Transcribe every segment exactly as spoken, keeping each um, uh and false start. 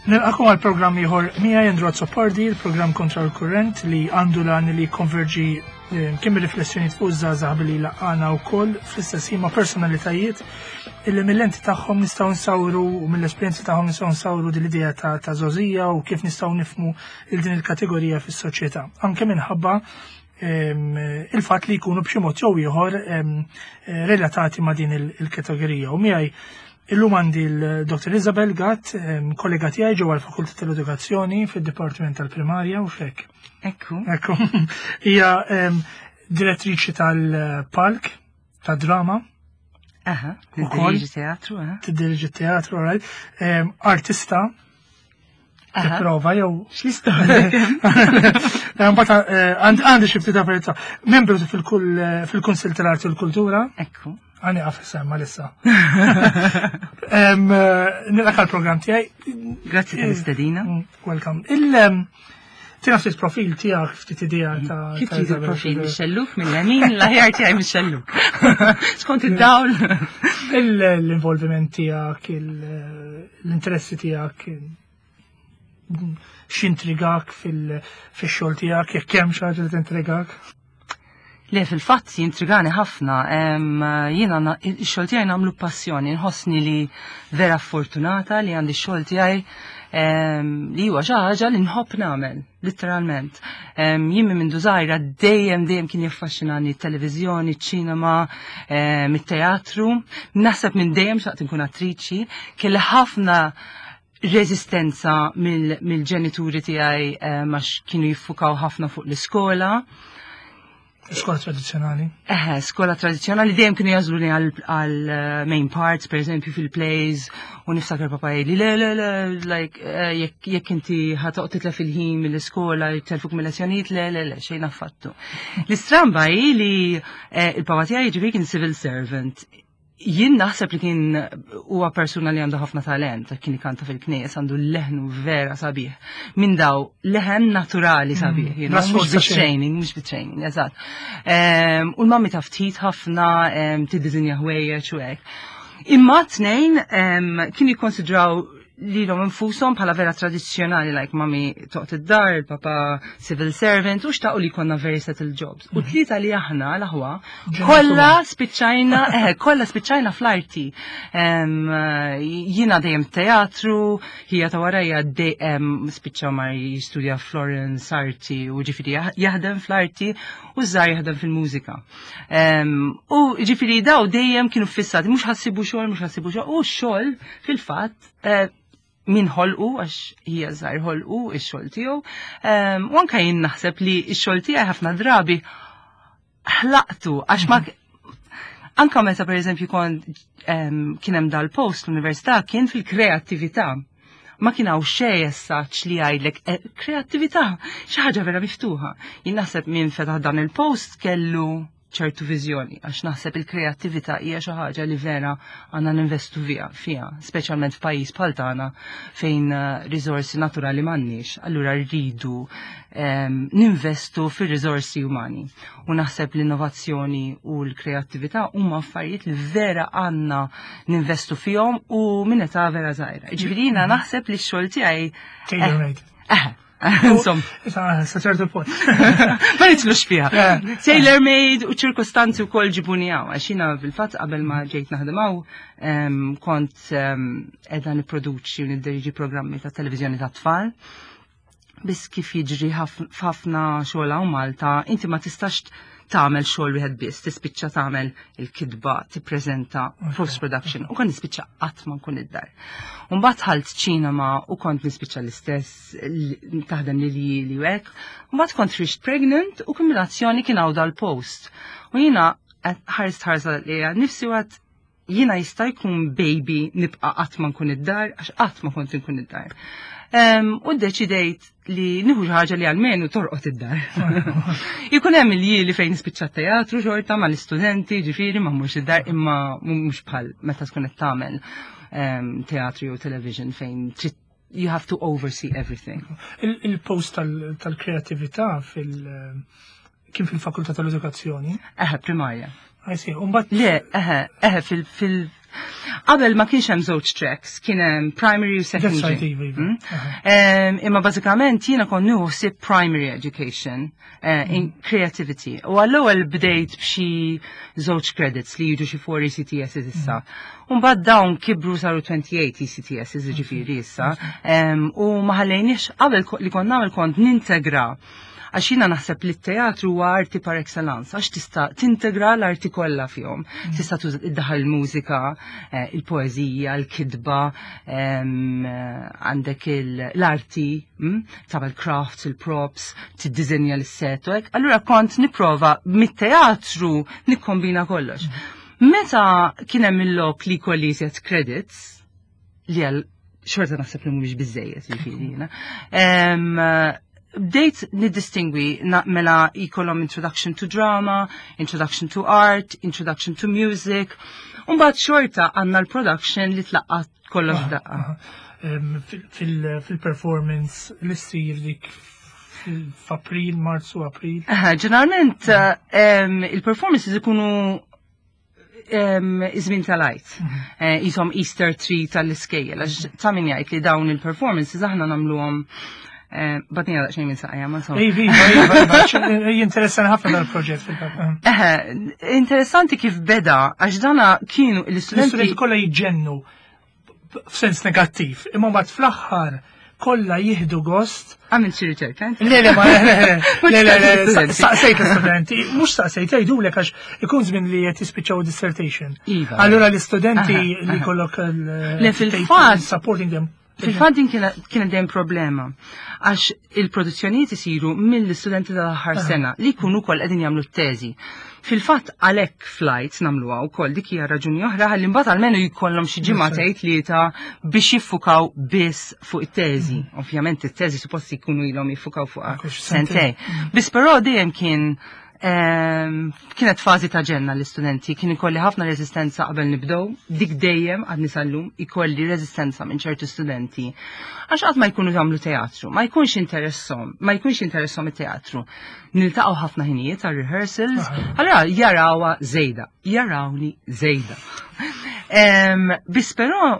Nilqagħkom għal programm ieħor miegħi Andrew Azzopardi, il-programm Kontra l-Kurrent li għandu l-għan li konverġi eh, kemm riflessjoni fuq iż-żgħażagħ billi laqana wkoll fl-istess ħin ma' personalitajiet illi mill-lenti tagħhom nistgħu nsawru u mill-esperjenzi tagħhom nistgħu nsawru din l-idea ta' ta' żgħożija u kif nistgħu nifhmu il din il-kategorija fis-soċjetà. Anke minħabba em, il-fatt li jkunu b'xi mod jew ieħor em, eh, relatati ma' din il- il-kategorija. U miegħi illum għandi l-Dottor Isabel Gatt, em, kollega tiegħi ġewwa l-Fakultà tal-Edukazzjoni fid-Dipartiment tal-Primarja u fek. Ekku. Ekku. Hija em, direttriċi tal-palk, tad-drama, Aha, Ukoll. tiddirieġi teatru, aha. tiddirieġi teatru, right? Em, artista, Aha. tipprova jew X'l-istorja? Mbagħad eh, għand- għandi xi ftit affarijiet. Membru fil-kull fil-Kunsill tal-Arti u l-Kultura, Ekku. għani għaf semma lissa. Em, eh, Nilqgħek għall-programm tiegħi. Grazzi tal-istedina. Mm, Welcome. Il em, tina ftit profil tiegħek, ftit idea ta' Kif ta' trid Isabel. il-profil mix-xelluk mill-lemin, l-aħjar tiegħi mix-xelluk. Skont id-dawl. Il- L-involviment tiegħek, il- l-interessi tiegħek, x'intrigak fil-xogħol tiegħek, jekk hemm xi ħaġa li tintrigak. Le, fil-fatt jintrigani ħafna. Em, Jiena na- ix-xogħol tiegħi nagħmlu passjoni, nħossni li vera fortunata li għandi x-xogħol tiegħi em, li huwa xi ħaġa li nħobb nagħmel, literalment. Em, Jien minn mindu żgħira dejjem dejjem kien jaffaxxinani t-televiżjoni, ċ-ċinema, em, it-teatru. Naħseb minn dejjem xtaqt nkun attriċi, kelli ħafna rezistenza mill- mill-ġenituri tiegħi em, għax kienu jiffukaw ħafna fuq l-iskola. Skola tradizzjonali. Eħe, skola tradizjonali dejjem kienu jagħżluni għal għal eh, main parts, per eżempju fil-plays, u niftakar papa jgħidli, le, le, le, like, eh, jekk jekk inti ħa toqgħod titlef il-ħin mill-iskola, jtelfuk mill-lezzjonijiet, le, le, le, xejn affattu. L-istramba hi li eh, il-papa tiegħi ġifieri kien civil servant. Jien naħseb li kien huwa persuna li għandu ħafna talent, kien ikanta fil-knies, għandu leħnu vera sabiħ. Minn daw, leħen naturali sabiħ, you know, La mhux sforza xejn. bit-training, mhux bit-training, eżatt. Em, U l-mami taf ftit ħafna em, tiddisinja ħwejjeġ u hekk. Imma tnejn em, kienu jikkonsidraw lilhom infushom bħala vera tradizzjonali, like mami toqgħod id-dar, il-papa civil servant, u xtaqu li konna very settled jobs. U tlieta li aħna l-aħwa, kollha spiċċajna, eh, kollha spiċċajna fl-arti. Em, Jiena dejjem teatru, ħija ta' warajja dejjem spiċċa mar jistudja Florence arti u ġifieri jah- jaħdem fl-arti u żgħar jaħdem fil-mużika. Em, U ġifieri daw dejjem kienu fissati, mhux ħa ssibu xogħol, mhux ħa ssibu xogħol, u x-xogħol fil-fatt eh, min ħolqu, għax ħija żgħir ħolqu ix-xogħol tiegħu. Em, U anke jien naħseb li x-xogħol tiegħi ħafna drabi ħlaqtu għax ma anka meta per eżempju kont em, kien hemm dal-post l-università kien fil-kreattività. Ma kien hawn xejn essaċ li jgħidlek eh, kreattività, xi ħaġa vera miftuħa. Jien naħseb min fetaħ dan il-post kellu ċertu viżjoni, għax naħseb il-kreattività hija xi ħaġa li vera għandna ninvestu fiha, fiha, speċjalment f'pajjiż bħal tagħna fejn eh, riżorsi naturali m'għandniex, allura rridu em, ninvestu fir-riżorsi umani. U naħseb l-innovazzjoni u l-kreattività huma affarijiet li vera għandna ninvestu fihom u minn età vera żgħira. Ġifieri jiena naħseb li x-xogħol tiegħi Tailor-made. eh, insomma, Issa, sa ċertu punt. ma nitlux fiha. Eh. Tailor made u ċirkostanzi u kol ġibuni hawn. Għax jiena fil-fatt qabel ma ġejt naħdem hawn, em, kont em, qiegħda nipproduċi u nidderieġi programmi ta' televizjoni ta' tfal. Biss kif jiġri ħaf- f'ħafna xogħol hawn Malta, inti ma tistax tagħmel xogħol wieħed biss, tispiċċa tagħmel il-kitba, tippreżenta post production u kont nispiċċa qatt ma nkun id-dar. U mbagħad dħalt ċinema u kont nispiċċa l-istess li- taħdem li li li u hekk. U mbagħad kont ħriġt pregnant u kombinazzjoni kien hawn dal-post. U jiena ħarist ħarsa li nifsi għad jiena jista' jkun baby nibqa' qatt ma nkun id-dar għax qatt ma kont nkun id-dar. Em, U ddeċidejt li nieħu xi ħaġa li almenu torqod id-dar. Ikun hemm il li fejn nispiċċa teatru xorta mal-istudenti, ġifieri ma mhux id-dar imma mhux bħal meta tkun qed tagħmel em, teatru jew television fejn trid you have to oversee everything. Il- Il-post tal- tal-kreatività fil- kien fil-Fakultà tal-Edukazzjoni. Eħe, primarja. I see. Umbat Le, eħe, eħe, fil, fil, Qabel ma kienx hemm żewġ tracks, kien hemm primary u That's secondary. right, iva, iva. Mm? Aha. Em, Imma bażikament jiena kont nieħu ħsieb primary education eh, in creativity. U għall-ewwel bdejt b'xi żewġ credits li jiġu xi four E C T S issa. U mbagħad dawn kibru, saru twenty-eight E C T S, ġifieri issa. Em, U ma ħallejniex. Qabel ko- li kont nagħmel, kont nintegra, għax jiena naħseb li t-teatru huwa arti par excellence, għax tista' tintegra l-arti kollha fihom. Tista' tuża iddaħħal il-mużika, eh, il-poeżija, il-kitba, em, eh, għandek il- l-arti, mm, tagħmel crafts, il-props, tiddiżenja l-set u hekk. Allura kont nipprova mit-teatru nikkombina kollox. Meta kien hemm il-lok li kolli iżjed credits, li għal xorta naħseb li mhumiex biżejjed, jiġifieri jiena. Em, Bdejt niddistingwi na- mela jkollhom introduction to drama, introduction to art, introduction to music. Umbagħad xorta għandna l-production li tlaqqat kollox f'daqqa. Aha. Em, fil- fil- Fil-performance li ssir dik fil- f'April, Marzu, April. Aha, ġeneralment em, il-performances ikunu em, iż-żmien tal-Għid. Eh, Jisom Easter tree tal-iskejjel, għax ta' min jgħid li dawn il-performances aħna nagħmluhom eh, batnija daqsxejn minn saqajja, ma insomma. Iva, iva, iva, iva, jinteressani ħafna dal-proġett fil-fatt. Eħe, interessanti kif beda, għax dana kienu l-istudenti. L-istudenti kollha jiġġennu f'sens negattiv, imma mbagħad fl-aħħar kollha jieħdu gost. Għamil xi riċerka, inti? Le, le, ma, le, le, le, le, le, Studenti. saqsejt l-istudenti, mhux saqsejt, jgħidulek għax ikun żmien li qed jispiċċaw dissertation. Iva. Allura l-istudenti Aha, li aha. kollok il- Le, fil-fatt- supporting them. Fil-fatt din kienet kienet dejjem problema. Għax il-produzzjonijiet isiru mill-istudenti tal-aħħar sena li jkunu wkoll qegħdin jagħmlu t-teżi. Fil-fatt għalhekk flights nagħmluha wkoll, dik hija raġuni oħra, ħalli mbagħad almenu jkollhom xi ġimgħatejn, tlieta biex jiffukaw biss fuq it-teżi. Ovvjament it-teżi suppost jkunu ilhom jiffukaw fuqha Kux sentejn. Biss però dejjem kien ehm, kienet fażi ta' ġenna l-istudenti, kien ikolli ħafna rezistenza qabel nibdew, dik dejjem għadni sal-lum ikolli rezistenza minn ċertu studenti. Għax qatt ma jkunu jagħmlu teatru, ma jkunx interessom, ma jkunx interessom it-teatru. Niltaqgħu ħafna ħinijiet għal rehearsals, allura jarawha żejda, jarawni żejda. Em, Biss però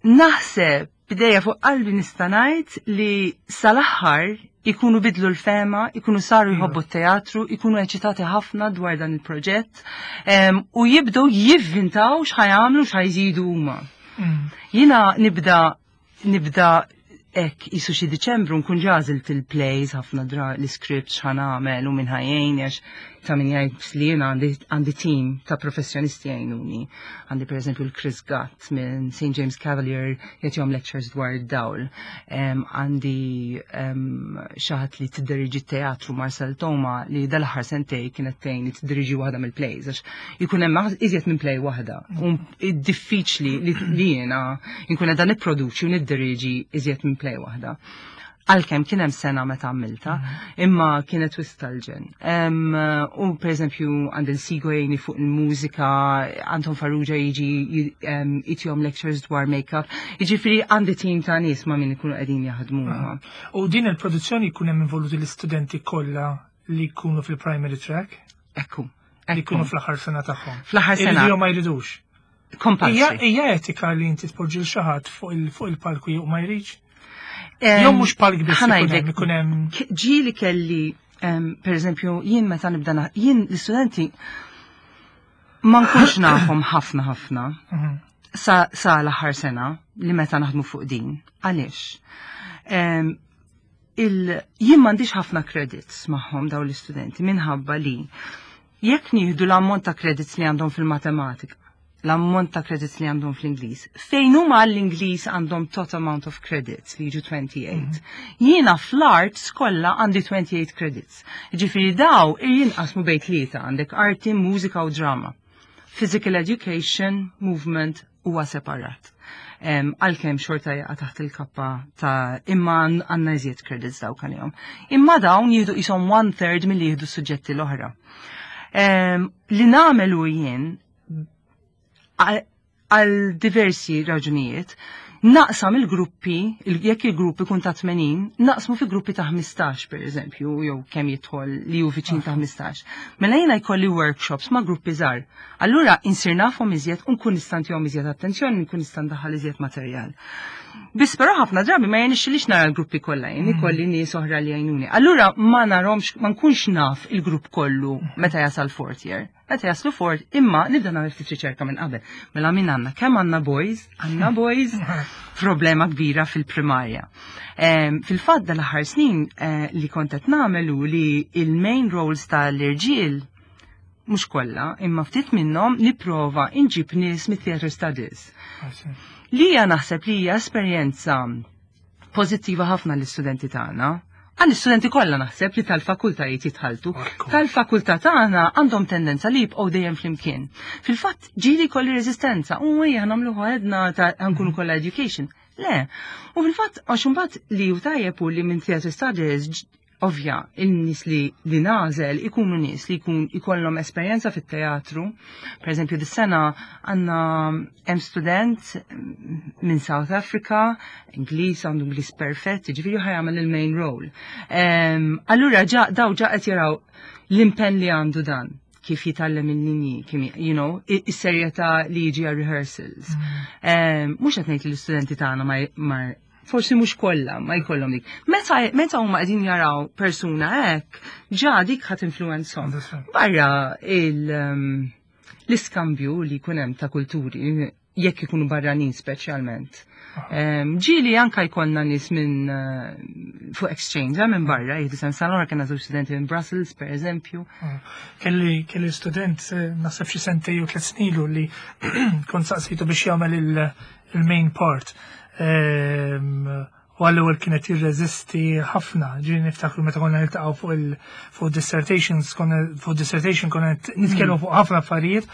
naħseb b'idejja fuq qalbi nista' ngħid li sal-aħħar ikunu bidlu l-fehma, ikunu saru jħobbu t-teatru, ikunu eċitati ħafna dwar dan il-proġett em, u jibdew jivvintaw x'ħa jagħmlu, x'ħa jżidu huma. Mm. Jiena nibda nibda hekk jisu xi Diċembru nkun għażilt il-plays ħafna dra l-script x'ħa nagħmel u min ħa jgħin, għax ta' min jgħid li jiena għandi għandi team ta' professjonisti jgħinuni. Għandi per eżempju l-Chris Gatt minn Saint James Cavalier jagħtihom lectures dwar id-dawl. Em, Għandi em, xi ħadd li tiddiriġi teatru, Marcel Toma, li dal-aħħar sentej kienet tgħin li tiddiriġi waħda mill-plays, għax jkun hemm iżjed minn play waħda. U diffiċli li li jiena nkun qiegħda nipproduċi u niddiriġi iżjed minn play waħda. Għalkemm kien hemm sena meta għamilta, imma kienet wisq tal-ġenn. Em, U per eżempju għand il-Sigo jgħini fuq il-mużika, Anton Farrugia jiġi em, jtihom lectures dwar make-up. Jiġifieri għandi team ta' nies ma' min ikunu qegħdin jaħdmu. U din il-produzzjoni jkun hemm involuti l-istudenti kollha li jkunu fil-primary track, Ekku. li jkunu fl-aħħar sena tagħhom. Fl-aħħar sena. Iridu jew ma jridux. Hija Compulsory. Hija etika li inti tpoġġi l xi ħadd fuq il- fuq il-palku jew ma jridx? Em, Jew mhux palk biss ikun hemm, ħa ngħidlek, ikun hemm K- ġieli kelli, em, per eżempju, jien meta nibda na- jien l-istudenti ma nkunx nafhom ħafna ħafna Mhm. sa, sa l-aħħar sena li meta naħdmu fuq din. Għaliex? Em, il, jien m'għandix ħafna credits magħhom dawn l-istudenti minħabba li jekk nieħdu l-ammont ta' credits li għandhom fil-matematika, l-ammont ta' credits li għandhom fl-Ingliż, fejn huma għall-Ingliż għandhom total amount of credits li jiġu twenty-eight. Jiena fl-arts kollha għandi twenty-eight credits. Ġifieri daw jinqasmu bejn tlieta, għandek arti, mużika u drama. Physical education, movement huwa separat. Um, Għalkemm xorta jaqa' taħt il-kappa ta' imma għandna iżjed credits dawk għalihom. Imma dawn jieħdu qishom one third milli jieħdu suġġetti l-oħra. Um, li nagħmelu jien għal għal diversi raġunijiet, Naqsam il-gruppi, jekk il-grupp ikun ta' tmenin, naqsmu fi gruppi ta' ħmistax, per eżempju, jew kemm jidħol li hu viċin ta' ħmistax. Mela jiena jkolli workshops ma' gruppi żgħar. Allura insir nafhom iżjed u nkun nista' ntihom iżjed attenzjoni, nkun nista' ndaħħal iżjed materjal. Biss però ħafna drabi ma jirnexxilix nara l-gruppi kollha, jien ikolli nies oħra li jgħinuni. Allura ma narhomx, ma nkunx naf il-grupp kollu meta jasal fourth year. Meta jaslu fourth, imma nibda nagħmel ftit riċerka minn qabel. Mela min għandna, kemm għandna boys, għandna boys, problema kbira fil-primarja. Fil-fatt dal-aħħar snin eh, li kont qed nagħmel hu li il-main roles tal-irġiel, mhux kollha, imma ftit minnhom, nipprova inġib nies mit-theater studies. Li hija naħseb li hija esperjenza pożittiva ħafna l-istudenti tagħna. Għall-istudenti kollha naħseb li tal-fakultajiet jitħaltu. Tal-fakultà tagħna għandhom tendenza li jibqgħu dejjem flimkien. Fil-fatt ġieli jkolli reżistenza, u ejja nagħmlu għedna ta' nkunu kollha education. Le. U fil-fatt għax imbagħad li hu tajjeb u li minn theater studies, ovvja, il-nies li li nagħżel ikunu nies li jkun ikollhom esperjenza fit-teatru. Per eżempju, dis-sena għandna hemm student minn South Africa, Ingliż, għandu Ingliż perfett, ġifieri ħa jagħmel il-main role. Allura ġa daw ġa qed jaraw l-impenn li għandu dan, kif jitgħallem il-linji, kif, you know, is-serjetà li jiġi għal rehearsals. Mhux qed ngħid li l-istudenti tagħna ma, forsi mhux kollha ma jkollhom dik. Meta meta huma qegħdin jaraw persuna hekk, ġa dik ħadd influwenzhom. Barra il um, l-iskambju li jkun hemm ta' kulturi, jekk ikunu barranin speċjalment. Ġieli anka jkollna nies minn uh, fuq exchange, eh, minn barra, jgħidu sen sena kena żewġ studenti minn Brussels, per eżempju. Kelli kelli student, eh, naħseb xi sentej u tliet snin ilu, li kont saqsitu biex jagħmel il-main part. U għall-ewwel kienet jirreżisti ħafna, ġieli niftakru meta konna niltaqgħu fuq il fuq dissertations, konna fuq dissertation konna nitkellmu fuq ħafna affarijiet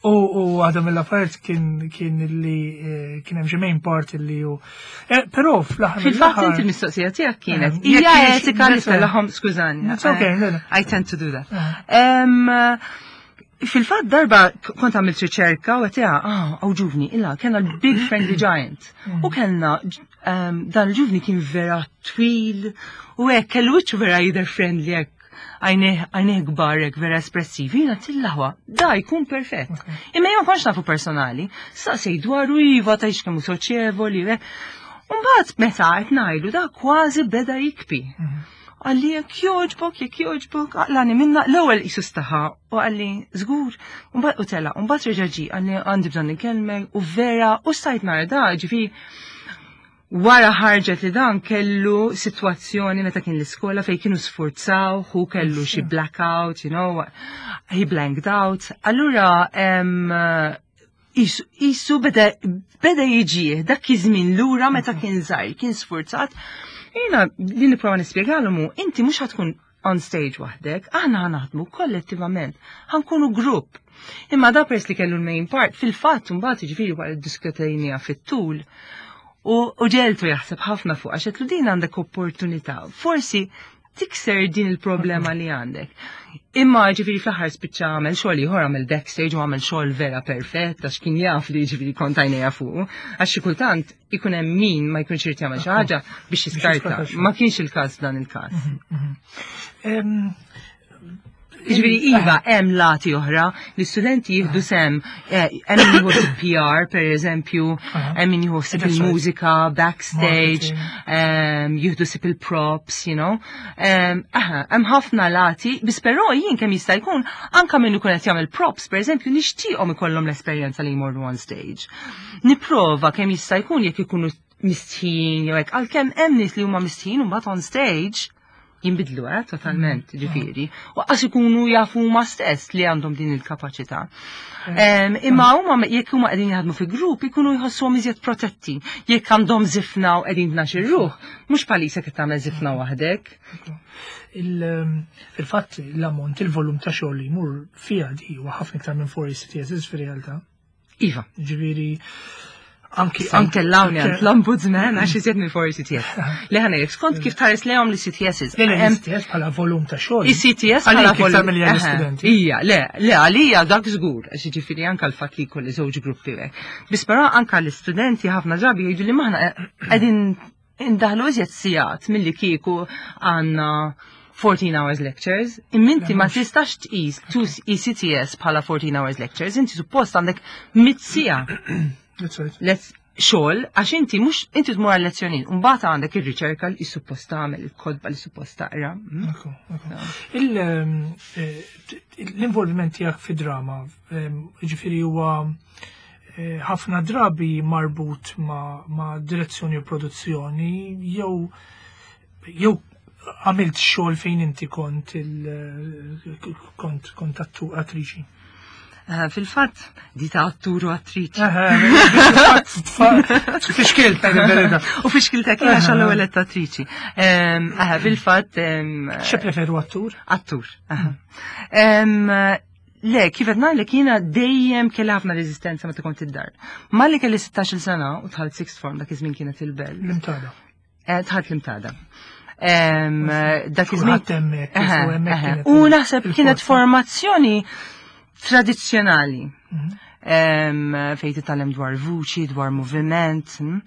u u għadha mill-affarijiet kien kien li eh, kien hemm xi main part li hu. Eh, però fl-aħħar Fil-fatt inti l-mistoqsija tiegħek kienet Eh, hija jekk etika li kienx- tellahom, skużani. It's okay, le, le. I tend to do that. Em, Fil-fatt darba kont għamilt riċerka u għedt, ah, għaw ġuvni, illa, kena l-Big Friendly Giant. U kellna, um, dan il-ġuvni kien vera twil, u hekk, kellu wiċċu vera jidher friendly hekk, għajnejh kbar hekk, vera espressivi, jiena tillaħwa, da jkun perfett. Imma jien ma kontx nafu personali, saqsej dwaru, iva, ta' kemm hu soċjevoli, Mbagħad meta qed ngħidu da kważi beda jibki. Qalli jekk joġbok, jekk joġbok, aqlagħni minna, l-ewwel qisu staħa u qalli żgur, u tela, u mbagħad reġa' ġie, qalli għandi bżonn inkellmek, u vera, u stajt nara da, ġifieri wara ħarġet li dan kellu situazzjoni meta kien l-iskola fej kienu sfurzaw, hu kellu xi blackout, you know, he blanked out. Allura, em, qisu beda, beda jiġih dak iż-żmien lura meta kien żgħir, kien sfurzat. Jiena li nipprova nispjegalhom hu, inti mhux ħa tkun on stage waħdek, aħna ħa naħdmu kollettivament, ħa nkunu grupp. Imma da pers li kellu l-main part, fil-fatt mbagħad jiġifieri wara ddiskutejniha fit-tul, u u ġegħeltu jaħseb ħafna fuq għax għedtlu din għandek opportunità. Forsi tikser din il-problema li għandek. Imma ġifieri fl-aħħar spiċċa għamel xogħol ieħor, għamel backstage u għamel xogħol vera perfett għax kien jaf li ġifieri kont għajnejja fuq. Għax xi kultant ikun hemm min ma jkunx irid jagħmel xi ħaġa biex jiskarta. jiskarta. Ma kienx il-każ dan il-każ. Em, Ġifieri iva, hemm lati oħra, l-istudenti jieħdu sem, eh, hemm min jieħu P R per eżempju, hemm min jieħu ħsieb That's right. il-mużika, backstage, Marketing. em, jieħdu ħsieb il-props, you know. Em, Aha, hemm ħafna lati, biss però jien kemm jista' jkun anka min ikun qed jagħmel props, per eżempju, nixtieqhom ikollhom l-esperjenza li jmorru on stage. Nipprova kemm jista' jkun jekk ikunu mistħin jew hekk, għalkemm hemm nies li huma mistħin u mbagħad on stage jinbidlu, eh, totalment, ġifieri. U qas ikunu jafu huma stess li għandhom din il-kapaċità. Em, Imma huma jekk huma qegħdin jaħdmu fi grupp ikunu jħossuhom iżjed protetti. Jekk għandhom żifna u qegħdin tnax ruħ, mhux bħalissa qed tagħmel żifna waħdek. il- Fil-fatt l-ammont, il-volum ta' xogħol li jmur fiha di huwa ħafna iktar minn four E C T S fir-realtà. Iva. Ġifieri Anki Anke l-lawni għand l-ombudsman għax iżjed minn four E C T S. Li ħana skont kif tħares lejhom l-E C T Ss. Le, le, E C T S bħala volum ta' xogħol. E C T S bħala Għalik iktar volum. milli Aha, għall-istudenti. Ija, le, le, għalija dak żgur, għax ġifieri anka l-fatt li kolli żewġ gruppi hekk. Biss però anka l-istudenti ħafna drabi jgħidu li maħna qegħdin indaħlu iżjed sigħat milli kieku għandna fourteen hours lectures, imma inti ma tistax tqis two E C T S bħala fourteen hours lectures, inti suppost għandek mitt siegħa That's right. let's xogħol, għax inti mhux inti tmur għal lezzjonijiet, mbagħad għandek ir-riċerka li suppost tagħmel, il-kotba li suppost taqra. Mm? Ekku, ekku. Il, ehm, eh, L-involviment tiegħek fi drama, ehm, ġifieri huwa eh, ħafna drabi marbut ma, ma direzzjoni u produzzjoni, jew jew għamilt xogħol fejn inti kont il kont kont attu attriċi? Eh, Fil-fatt, di ta' attur u attriċi. Fixkilt, ngħid il-verità. U fixkiltek jena xallu għalet attriċi. Ehm, Aha, fil-fatt. ehm, Xe preferu, attur? Attur. Aha. Em, Le, kif qed ngħidlek, jiena dejjem kelli ħafna reżistenza meta kont id-dar. Malli kelli sittax-il sena u dħalt sixth form, dak iż-żmien kienet il-Belt. L-Imtada. Eh, Dħalt l-Imtada. Em, Dak iż-żmien. Kulħadd hemmhekk, Aha, u hemmhekk aha. kienet U il- naħseb kienet il-forza. formazzjoni tradizzjonali. Mhm. Em, Fejn titgħallem dwar vuċi, dwar moviment. mm.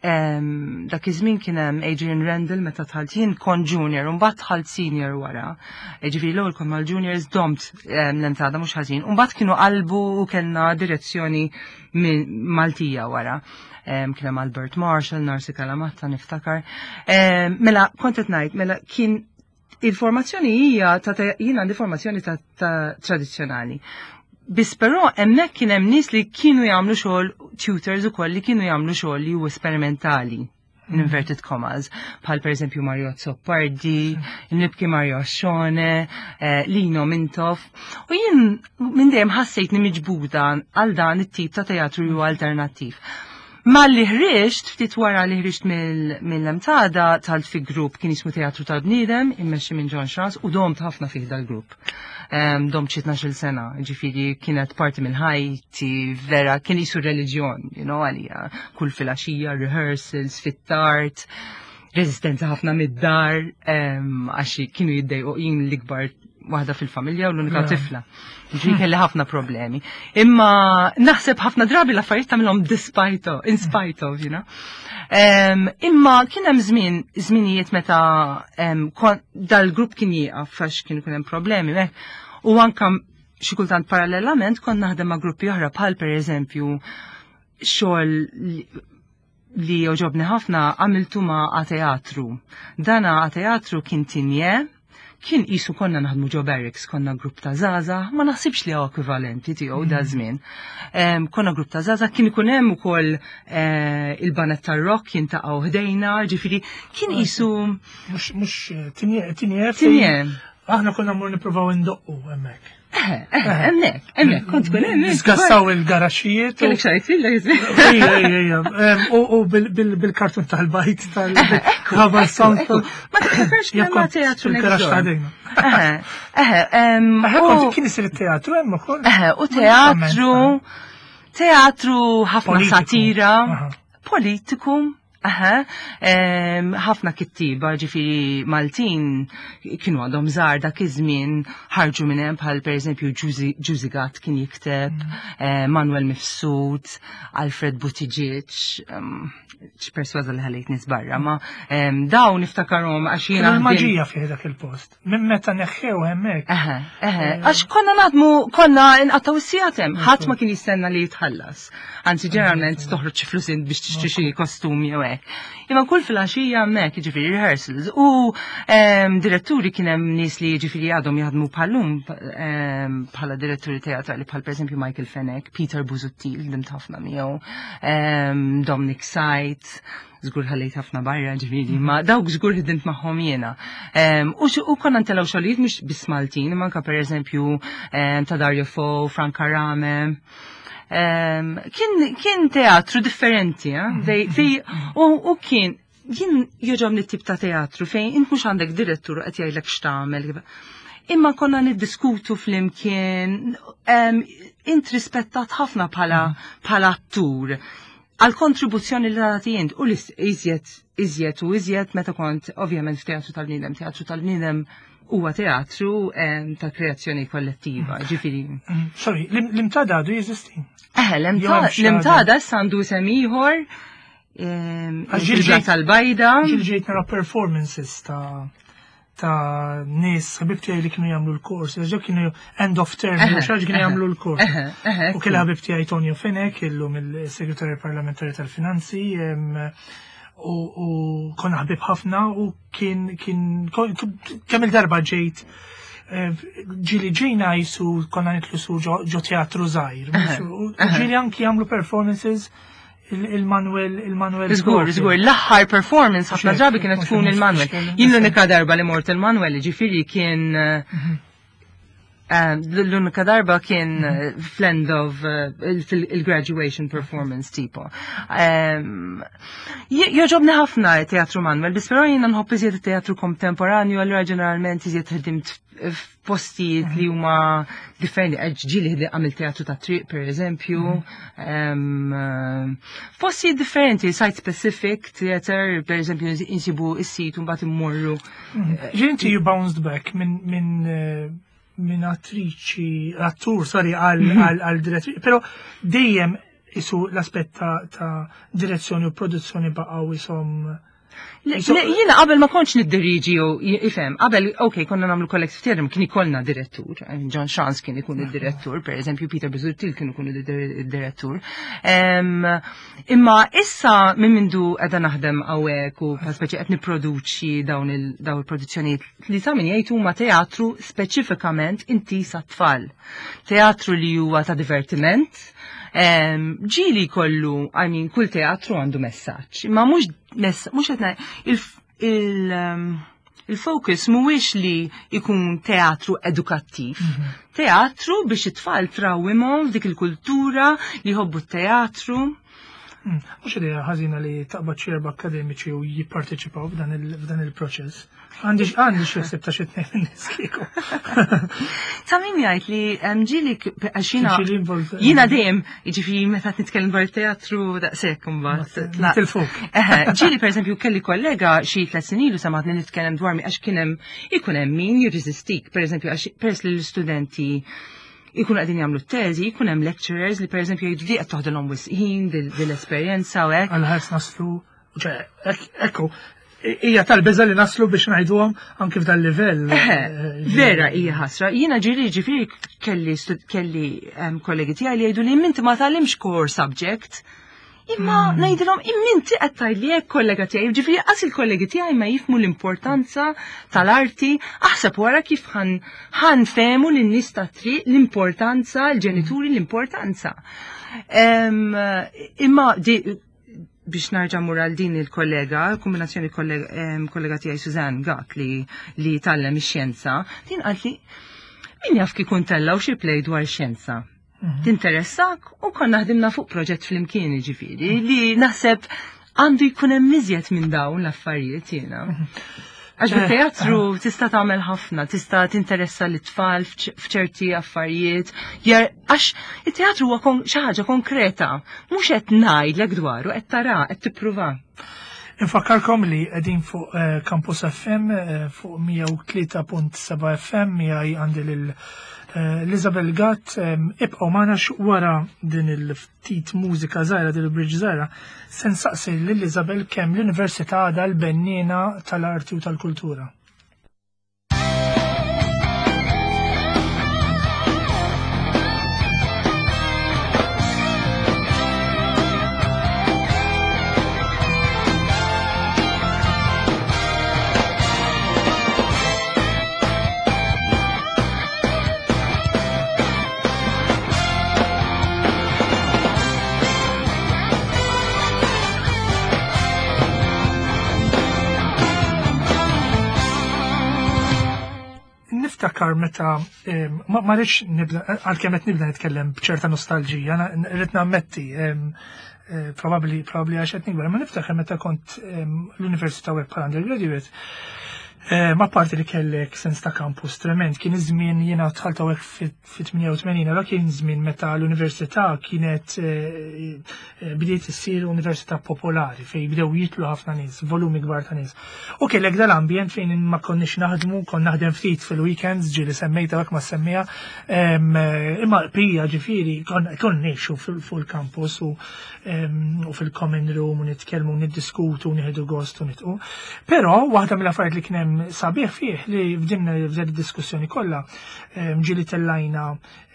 Em, Dak iż-żmien kien hemm Adrian Randall meta dħalt jien kont junior u mbagħad dħalt senior wara. Ġifieri l-ewwel kont mal-juniors, domt em, l-Imtada mhux ħażin. U mbagħad kienu qalbu u kellna direzzjoni minn Maltija wara. Em, Kien hemm Albert Marshall, Narsi Kalamatta niftakar. Em, Mela kont qed ngħid, mela kien il-formazzjoni hija ta' ta' jien għandi formazzjoni ta', ta tradizzjonali. Biss però hemmhekk kien hemm nies li kienu jagħmlu xogħol, tutors ukoll li kienu jagħmlu xogħol li huwa esperimentali, in inverted commas, bħal per eżempju Mario Azzopardi, Nibki Mario Ascione, eh, Lino Mintoff. U jien minn dejjem ħassejtni miġbuda għal dan it-tip ta' teatru ju alternattiv. Malli ħriġt, ftit wara li ħriġt mill-Imtada, dħalt fi grupp kien jismu Teatru tal-Bniedem, immexxi minn John Chance, u domt ħafna fih dal-grupp. Um, domt xi tnax-il sena, ġifieri kienet parti minn ħajti, vera, kien jisu reliġjon, you know, għalija, kull filgħaxija, rehearsals, fit-tard, rezistenza ħafna mid-dar, um, għax kienu jiddejqu, jien l-ikbar waħda fil-familja u l-unika tifla. Ġifieri kelli ħafna problemi. Imma naħseb ħafna drabi l-affarijiet tagħmilhom despite of, in spite of, you know. Um, imma kien hemm żmien, żminijiet meta um, dal-grupp kien jieqaf għax kien ikun hemm problemi mek. U anka xi kultant parallelament kont naħdem ma' gruppi oħra, bħal per eżempju xogħol li, li jogħġobni ħafna għamiltu ma' A Teatru. Dana A Teatru kien tinje, kien isu konna naħdmu ġo barracks, konna grupp ta' żgħażagħ, ma naħsibx li hawn ekwivalenti tiegħu da żmien. Em, Konna grupp ta' żgħażagħ, kien ikun hemm ukoll eh, il-baned tar-rock jiltaqgħu ħdejna, ġifieri kien isu Mux, mux, Tigne, Tigne. Tigne. Aħna konna mmur nippruvaw indoqqu hemmhekk. Eh, eh, hemmhekk, hemmhekk, kont tkun hemmhekk. Nisgassaw il-garaxxijiet. u- Kellek xajt fil Ejja, ejja, ejja. Em, U u bil- bil- bil-kartun tal-bajt tal-rubber sound. Ma tiftakarx Jekk kemm ma kont teatru fil-garaxx next ta' door. ħdejna. Eħe, eħe, em, Eħe, u- kont kien isir it-teatru hemm ukoll. Eħe, u teatru, teatru ħafna Politiku. satira, Aha. politiku, eħe, em, ħafna kittiba, ġifieri Maltin kienu għadhom żgħar dak iż-żmien ħarġu minn hemm, bħal pereżempju Ġużi Gatt kien jikteb, eh, Manuel Mifsud, Alfred Buttigieg, em, x'persważa li ħallejt nies barra, ma em, dawn niftakarhom għax jiena Kienu ħdimt- l-maġija fih dak il-post. Minn meta neħħew hemmhekk. Eħe, eħe, għax konna naħdmu, konna nqattaw is-sigħat hemm, ħadd ma kien jistenna li jitħallas. Anzi, ġeneralment toħroġ xi flus int biex tixtri xi kostumi jew hekk. Imma kull filgħaxija hemmhekk, jiġifieri rehearsals. U em, diretturi kien hemm nies li jiġifieri għadhom jaħdmu bħallum em, bħala diretturi teatrali, bħal pereżempju Michael Fenech, Peter Busuttil, ħdimt ħafna miegħu, em, Dominic Sajt, żgur ħallejt ħafna barra ġifieri, ma dawk żgur ħdimt magħhom jiena. Em, U xi- u konna ntellgħu xogħlijiet mhux biss Maltin, imma anke pereżempju em, ta' Dario Fo, Frank Arame. Em, Kien kien teatru differenti, eh? Dej- fej- u u kien jien jogħġobni tip ta' teatru fejn int mhux għandek direttur qed jgħidlek x'tagħmel. Imma konna niddiskutu flimkien, em, int rispettat ħafna bħala bħala attur. Għal kontribuzzjoni li tagħti int u iżjed iżjed u iżjed meta kont ovvjament f'teatru tal-bniedem, teatru tal-bniedem huwa teatru ta' kreazzjoni kollettiva, ġifieri. Sorry, l-imtada għadu jeżisti? Eħe, l-imtada issa għandu isem ieħor. Ġil tal-bajda. Ġil ġejt nara performances ta' ta' nies, ħabib tiegħi li kienu jagħmlu l-kors, ġew kienu end of term, xi kienu jagħmlu l-kors. U kien ħabib tiegħi Tonio Fenech, illum il-Segretarju Parlamentari tal-Finanzi, u konna ħabib ħafna u kien kien kemm il-darba ġejt ġieli ġejna jisu konna nitlu su ġo teatru żgħir. Ġieli anki jagħmlu performances il-Manuel, il-Manuel. Żgur, żgur, l-aħħar performance ħafna drabi kienet tkun il-Manuel. Jien l-unika darba li mort il-Manuel, ġifieri kien l-unika darba kien fl-end of il-graduation performance tipo. Joġobni ħafna teatru Manuel, bis però jiena nħobb iżjed teatru kontemporanju, allura ġeneralment iżjed ħdimt f'postijiet li huma differenti, ġieli għamil teatru ta' triq per eżempju, postijiet differenti, site specific theater, per eżempju insibu is-sit u mbagħad immorru. Ġinti you bounced back minn minn min attriċi, attur, sorry, għal direttriċi, pero dejjem isu l-aspett ta' direzzjoni u produzzjoni baqgħu isom. Jiena qabel ma kontx niddiriġi u ifhem, qabel, ok, konna nagħmlu collective theater, kien ikollna direttur, John Chance kien ikun id-direttur, per eżempju Peter Busuttil kien ikun id-direttur. Imma issa minn mindu qiegħda naħdem hawnhekk u speċi qed nipproduċi dawn il-produzzjonijiet li ta' min jgħid huma teatru speċifikament intiż għat-tfal. Teatru li huwa ta' divertiment, ġieli kollu, I mean, kull teatru għandu messaġġ, imma mhux mhux qed il-focus mhuwiex li jkun teatru edukattiv. Teatru biex it-tfal trawwimhom f'dik il-kultura li jħobbu t-teatru. Mhux idea ħażina li taqbad xi erba' akademiċi u jipparteċipaw f'dan il-proċess. Għandi għandi xi ħsieb ta' xi tnejn min-nies kieku. Ta' min jgħid li ġieli għax jiena jiena dejjem, jiġifieri meta nitkellem dwar it-teatru daqshekk imbagħad. Tilfuk. Eħe, ġieli pereżempju kelli kollega xi tliet snin ilu sematni nitkellem dwar mi għax kien hemm ikun hemm min jirreżistik, pereżempju għax peress li l-istudenti ikunu qegħdin jagħmlu t-teżi, jkun hemm lecturers li pereżempju jgħidu di qed toħdilhom wisq ħin dil-esperjenza u hekk. Għal ħares naslu, ekku, hija tal-biża' li naslu biex ngħiduhom anke f'dan livell. Vera hija ħasra. Jiena ġieli ġifieri kelli kelli kollegi tiegħi li jgħidu li inti ma tgħallimx core subject. Imma ngħidilhom imminti qed tgħidli hekk kollega tiegħi, ġifieri qas il-kollegi tiegħi ma jifhmu l-importanza tal-arti, aħseb wara kif ħan fehmu lin-nies tat-triq l-importanza, l-ġenituri l-importanza. Imma biex narġa' mur għal din il-kollega, kombinazzjoni kollega tiegħi Suzanne Gatt li li tgħallem ix-xjenza, din qalt li min jaf kif tellgħu xi play dwar xjenza. Tinteressak u konna ħdimna fuq proġett flimkien ġifieri li naħseb għandu jkun hemm iżjed minn dawn l-affarijiet jiena. Għax bit-teatru tista' tagħmel ħafna, tista' tinteressa l-tfal f'ċerti affarijiet, għax it-teatru huwa xi ħaġa konkreta, mhux qed ngħidlek dwaru, qed tara, qed tippruva. Infakkarkom li qegħdin fuq Campus F M fuq mija u tlieta punt seba' F M miegħi għandi lil Isabel Gatt, ibqgħu magħna wara din il-ftit mużika żgħira, din il-bridge żgħira, se nsaqsi lil Isabel kemm l-Università għadha l-benniena tal-arti u tal-kultura. Niftakar meta ma rridx nibda, għalkemm qed nibda nitkellem b'ċerta nostalġija, rrid nammetti, probabbli probabbli għax qed nikber, ma niftakar meta kont l-università web bħala undergraduate, Eh, Ma parti li kellek sens ta' campus trement, kien iż-żmien, jiena dħalt hawnhekk fit-tmienja u tmenin, allora kien żmien meta l-università kienet eh, eh, bdiet issir università popolari fejn bdew jitlu ħafna nies, volumi kbar ta' nies. U kellek dal-ambjent fejn ma konniex naħdmu, kon naħdem ftit fil-weekends, ġieli semmejta dak ma semmija, em, eh, imma pija ġifieri kon kon ngħixu fil- fuq il-campus u em, u fil-common room u nitkellmu, niddiskutu, nieħdu gost u nitqu. Però waħda mill-affarijiet li kien hemm sabiħ fih li f'din f'din id-diskussjoni kollha em, ġieli tellajna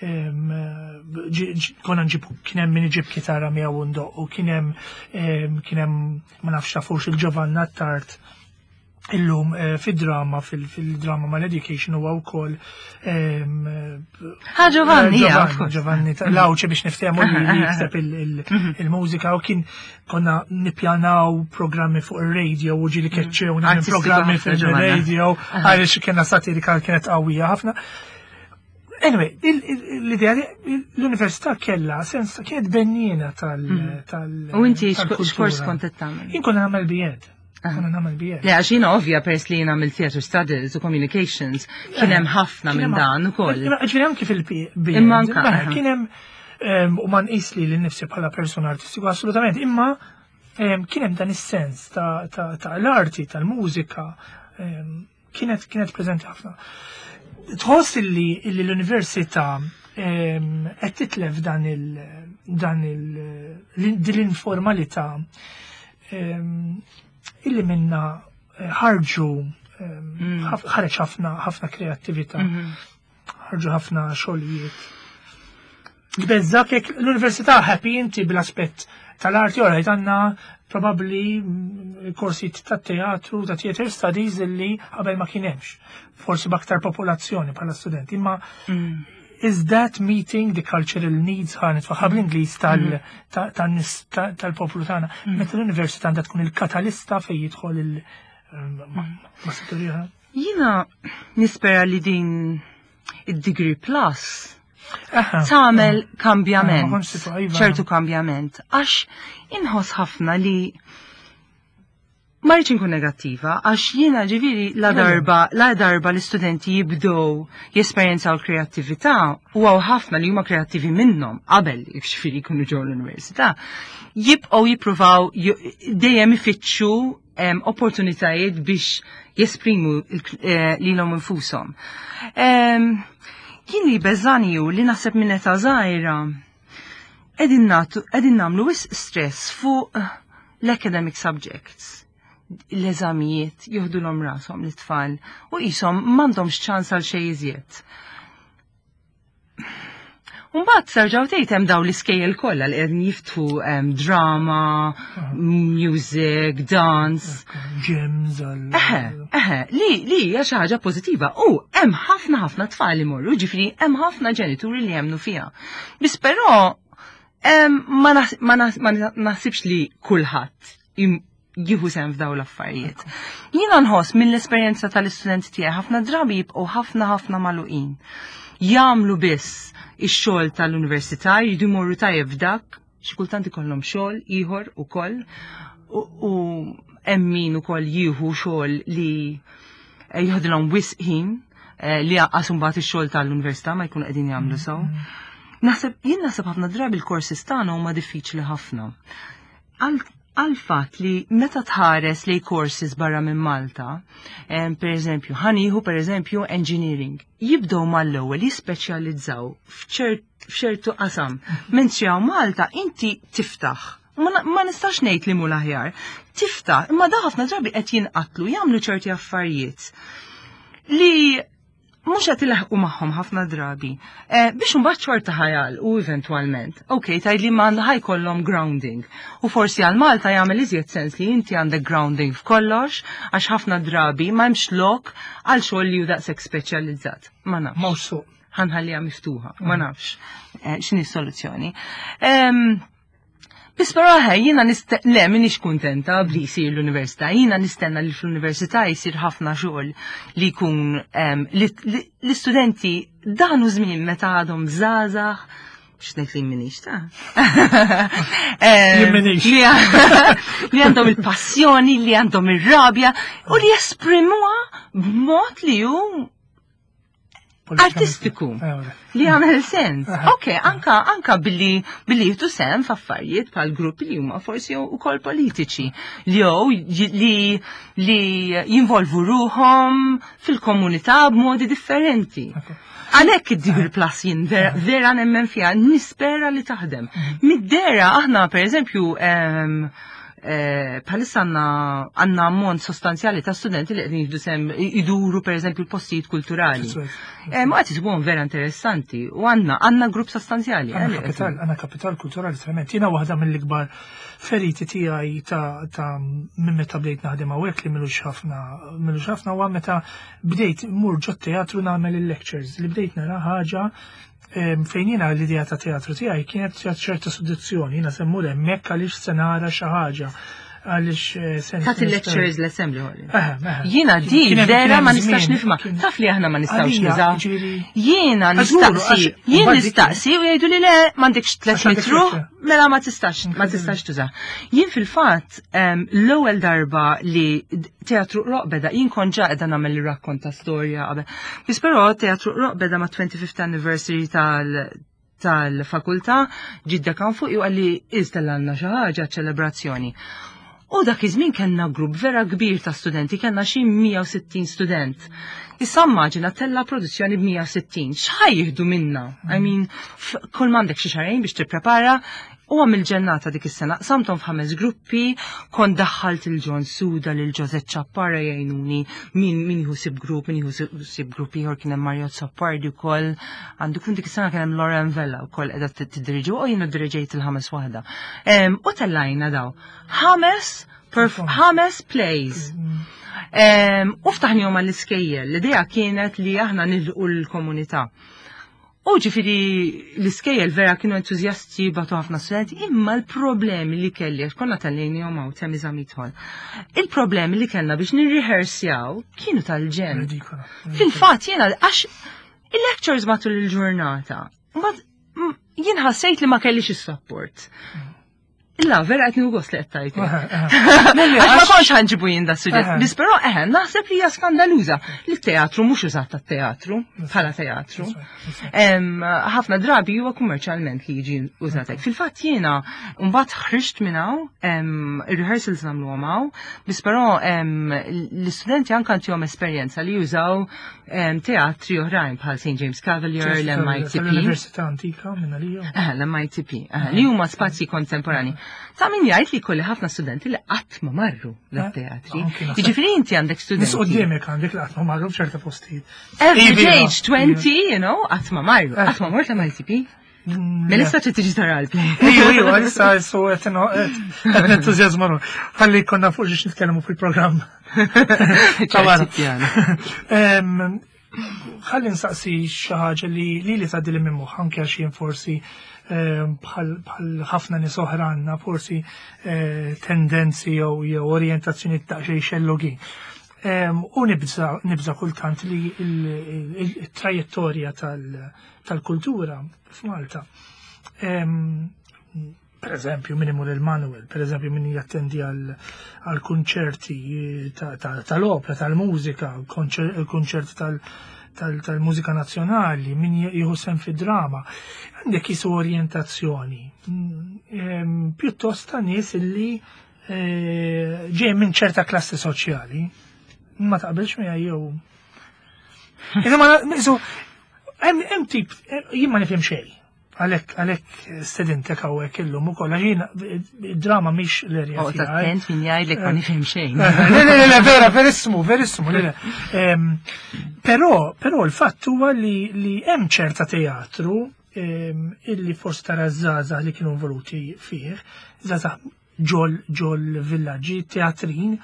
em, ġi- ġi- konna nġibu, kien hemm min iġib kitarra miegħu u ndoq u kien hemm em, kien hemm ma nafx tafux il-Giovanna Tart illum eh, fid-drama, fil- fil-drama mal-education huwa wkoll em, Ha, Giovanni, eh, yeah, of Giovanni, course. Giovanni Lawċe biex niftehmu li li jikteb il- il- il-mużika u kien konna nippjanaw programmi fuq il-radio u ġieli keċċewna minn Artistiku programmi ħafna, Giovanna. fil-radio għaliex kena satirika kienet qawwija ħafna. Anyway, il- il- l-idea li l-università kella sens kienet benniena tal- tal- U inti tal-kultura. x'kors kont qed tagħmel? Jien konna nagħmel B Ed. Konna nagħmel B Ed. Le, għax jiena ovvja pers li jiena għamilt theater studies u communications, kien hemm ħafna minn dan ukoll. Imma ġifieri anki fil-B Ed. Imma anka, Mela, aha. kien hemm em, u ma nqis li l-nifsi bħala persona artistiku assolutament, imma em, kien hemm dan is-sens ta' ta' ta' l-arti, tal-mużika, em, kienet kienet preżenti ħafna. Tħoss illi illi l-università em, qed titlef dan il dan il din l-informalità em, illi minna eh, ħarġu em, ħaf- ħareġ ħafna ħafna kreattività, ħarġu ħafna xogħlijiet. Tbeżżak jekk l-università happy inti bil-aspett tal-arti, ora għandna probabbli mm, korsijiet ta' teatru, ta' theater studies illi qabel ma kien hemmx. Forsi b'aktar popolazzjoni bħala studenti, imma is that meeting the cultural needs, ħa nitfaħħa bl-Ingliż, tal- ta- tan-nies ta- tal-poplu tagħna? Meta l-università għandha tkun il-katalista fejn jidħol il- ma ma setturi oħra? Jiena nispera li din id-degree plus Aha. tagħmel Ma kambjament, kontx situ- iva. ċertu kambjament, għax inħoss ħafna li ma rridx inkun negattiva, għax jiena ġifieri la darba, la darba l-istudenti jibdew jesperjenzaw l-kreattività u hawn ħafna li huma kreattivi minnhom qabel ġifieri jkunu ġew l-università, jibqgħu jippruvaw ju- dejjem ifittxu em, opportunitajiet biex jesprimu il- eh, lilhom infushom. Em, Kien li beżani ju li naħseb minn età żgħira qegħdin nagħtu qegħdin nagħmlu wisq stress fuq l-academic subjects. L-eżamijiet joħdulhom rashom l-tfal u qishom m'għandhomx ċans għal xejn iżjed. Mbagħad terġgħu tgħid hemm dawn l-iskejjel kollha li qegħdin jiftħu em, drama, music, dance. Gyms, għal. Eħe, eħe, li li hija xi ħaġa pożittiva. U hemm ħafna ħafna tfal li morru, ġifieri hemm ħafna ġenituri li jemmnu fiha. Biss però em, ma naħs- ma naħs- ma naħsibx li kulħadd im- jieħu sehem f'dawn l-affarijiet. Jiena nħoss mill-esperjenza tal-istudenti tiegħi ħafna drabi jibqgħu ħafna ħafna magħluqin. Jagħmlu biss ix-xogħol tal-università, jridu jmorru tajjeb f'dak, xi kultant ikollhom xogħol ieħor ukoll u u hemm min ukoll jieħu xogħol li eh, jieħdilhom wisq ħin eh, li għaqqas imbagħad ix-xogħol tal-università ma jkunu qegħdin jagħmlu sew. Naħseb jien naħseb ħafna drabi l-courses tagħna huma diffiċli ħafna. Għal għal fatt li meta tħares li courses barra minn Malta, em, per eżempju, ħa nieħu per eżempju engineering, jibdew mal-ewwel jispeċjalizzaw f'ċert- f'ċertu qasam. Mentri hawn Malta inti tiftaħ. Ma, na- ma nistax ngħid li mhu l-aħjar. Tiftaħ, imma da ħafna drabi qed jinqatlu jagħmlu ċerti affarijiet li mhux qed ilaħqu magħhom ħafna drabi. Eh, biex imbagħad xorta ħajal u eventwalment. Ok, tgħid li ma ħa jkollhom grounding. U forsi għal Malta jagħmel iżjed sens li inti għandek grounding f'kollox għax ħafna drabi ma hemmx lok għal xogħol li hu daqshekk speċjalizzat. Ma nafx. Mhux suq. Ħa nħalliha miftuħa, ma nafx eh, x'inhi s-soluzzjoni. Em, Biss però ħej, jiena niste, le, minix kuntenta bli jsir l-università, jiena nistenna li fl-università jsir ħafna xogħol li jkun em, li li- l-istudenti dan hu żmien meta għadhom żgħażagħ, X'ngħid li minix ta' Jien minix. Li li għandhom il-passjoni, li għandhom ir-rabja u li jesprimuha b'mod li hu artistiku. Li għamel sens. Ok, anka, anka billi, billi jieħdu sehem f'affarijiet bħal gruppi li huma forsi ukoll politiċi li jew li li jinvolvu ruħhom fil-komunità b'modi differenti. Għalhekk id-degree plus jien vera, vera nemmen fiha, nispera li taħdem. Mid-dera aħna per eżempju em, eh, bħalissa għandna għandna ammont sostanzjali ta' studenti li qegħdin jieħdu sehem iduru per eżempju l-postijiet kulturali. Eh, Ma qed isibuhom vera interessanti u għandna għandna grupp sostanzjali. eh, Għandna li qed- kapital, għandna kapital kulturali trement. Jiena waħda mill-ikbar feriti tiegħi ta' ta' minn meta bdejt naħdem hawnhekk li milux ħafna, milux ħafna huwa meta bdejt mur ġo teatru nagħmel il-lectures li bdejt nara ħaġa em, fejn jiena l-idea ta' teatru tiegħi kienet ċerta soddizzjoni, jiena se mmur hemmhekk għaliex se nara xi ħaġa għaliex eh, se Ta' il-lectures l-assembly hall. Eħe, eħe. Jiena di Kien hemm- vera kien hemm ma nistax żmien, nifhma. kien- Taf li aħna ma nistgħux Għalija, nużaw. ġifieri- Jiena Għax żgur, nistaqsi, għax- jien mbagħad dik- nistaqsi u jgħidu li le m'għandekx tliet Għax għandek metru, lecture. mela ma tistax, ma tistax tuża. Jien fil-fatt em, l-ewwel darba li Teatru Qroqq beda, jien kont ġa qiegħda nagħmel ir-rakkont ta' storja qabel. Biss però Teatru Qroqq beda ma' twenty-fifth anniversary tal tal-fakultà, ġidda kan fuq ju għalli iżda xi ħaġa ċelebrazzjoni. U dak iż-żmien kellna grupp vera kbir ta' studenti, kellna xi mija u sittin student. Issa immaġina tella produzzjoni b'mija u sittin, x'ħa jieħdu minna? I mean, f- kull m'għandek xi xahrejn biex tipprepara. U għamil ġennata dik is-sena, qsamthom f'ħames gruppi, kont daħħalt il-John Suda, lil Josette Ċappara jgħinuni, min min jieħu ħsieb grupp, min jieħu ħsieb grupp ieħor, kien hemm Mario Zappardi wkoll, għandu kun dik is-sena kien hemm Lauren Vella wkoll qiegħda tiddirġi u jiena diriġejt il-ħames waħda. Em, U tellajna daw. Ħames perf- ħames plays. Em, U ftaħnihom għall-iskejjel. L-idea kienet li aħna nilqu l-komunità. U ġifiri l-iskejjel vera kienu entuzjasti, bagħtu ħafna studenti, imma l-problemi li kelli, għax konna tellajnihom hawn Temi Zammit Hall, il-problemi li kellna biex nirrihersjaw kienu tal-ġenn. Ridikola. Fil-fatt jiena għax il-lectures matul il-ġurnata, mbagħad mm, jien ħassejt li ma kellix is-support. Illa, vera qed nieħu gost li qed tajt. Għax ma kontx ħa nġibu jien da suġġett. Aha. Biss però eħe, naħseb li hija skandaluża li t-teatru mhux użat tat-teatru bħala teatru. Em, Ħafna drabi huwa kummerċjalment li jiġi użat hekk. Fil-fatt jiena mbagħad ħriġt minn hawn, em, ir-rehearsals nagħmluhom hawn, biss però em, l-istudenti anke għandhom esperjenza li jużaw em, teatri oħrajn bħal Saint James Cavalier, l-M I T P. L-Università Antika minna li Eh, l-M I T P, eh, li huma spazji kontemporani. Ta' min jgħid li kolli ħafna studenti li qatt ma marru l-teatri. Anki naħseb- Jiġifieri inti għandek Nis studenti. qoddimek għandek li qatt ma marru f'ċerta postijiet. Average Iva. age twenty, you know, qatt ma marru. Eh. Qatt ma mort l-M I T P. Mm, Melissa trid tiġi tara l-play. Iju, iju, għalissa jessu qed nentużjażma. Ħalli konna fuq xiex nitkellmu fil-programm. Ta' Em, Ħalli nsaqsi xi ħaġa li li li tgħaddi li minn moħħ anke għax jien forsi em, bħal bħal ħafna nies oħra għandna forsi eh, tendenzi jew jew orjentazzjoni ta' xejn xellugin. Em, U nibża nibża kultant li il-trajettorja tal-kultura f'Malta. Em, Per eżempju, min imur il-Manuel, per eżempju, min jattendi għal konċerti tal-opera, tal-mużika, konċerti tal-mużika nazzjonali, min jieħu sehem fi drama. Għandek jisu orjentazzjoni. Mm, em, Pjuttost ta' nies illi eh, ġej minn ċerta klassi soċjali. Ma taqbilx miegħi jew. Iżda ma nisu hemm hemm tip jien ma nifhem xejn. Għalhekk għalhekk stedintek hawnhekk illum ukoll għax jiena id-drama mhix l-erja Oh, tiegħi. attent min jgħidlek ma nifhem xejn. Le, le, le, le, vera, verissimo, verissimo, le, le. Em, Però, però l-fatt huwa li, li hemm ċerta teatru em, illi forsi tara żgħażagħ li kienu involuti fih, żgħażagħ ġol ġol villaġġi, teatrin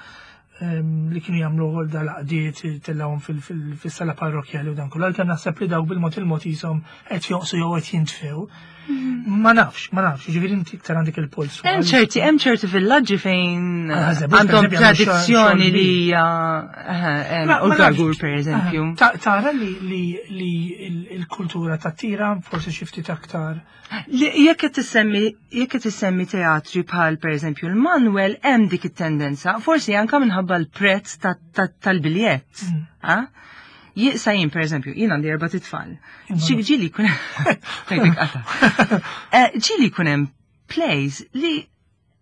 em, li kienu jagħmlu għol dal-għaqdiet tellawhom fil-sala parrokjali u dan kollu. Għalkemm naħseb li dawk bil-mod il-mod jisom qed jonqsu jew qed jintfew. Ma nafx, ma nafx, ġifieri inti iktar għandek il-polsu. Hemm ċerti, hemm ċerti villaġġi fejn Ah, Żebbuġ, għandhom per eżempju, għandu tradizzjoni xogħol li hija eh, Ma- u ma nafx. Gargur per eżempju. Ah, ta- Tara li li li il- il-kultura ta' tira forsi xi ftit aktar. Li jekk qed tissemmi jekk qed tissemmi teatri bħal pereżempju l-Manuel hemm dik it-tendenza, forsi anke minħabba l-prezz ta- ta- tal-biljett. Mm. ah? Jisa jien pereżempju, jien għandi erba' titfal. Imma- Xi ġieli jkun Tajbek qata. Eh, Ġieli jkun hemm plays li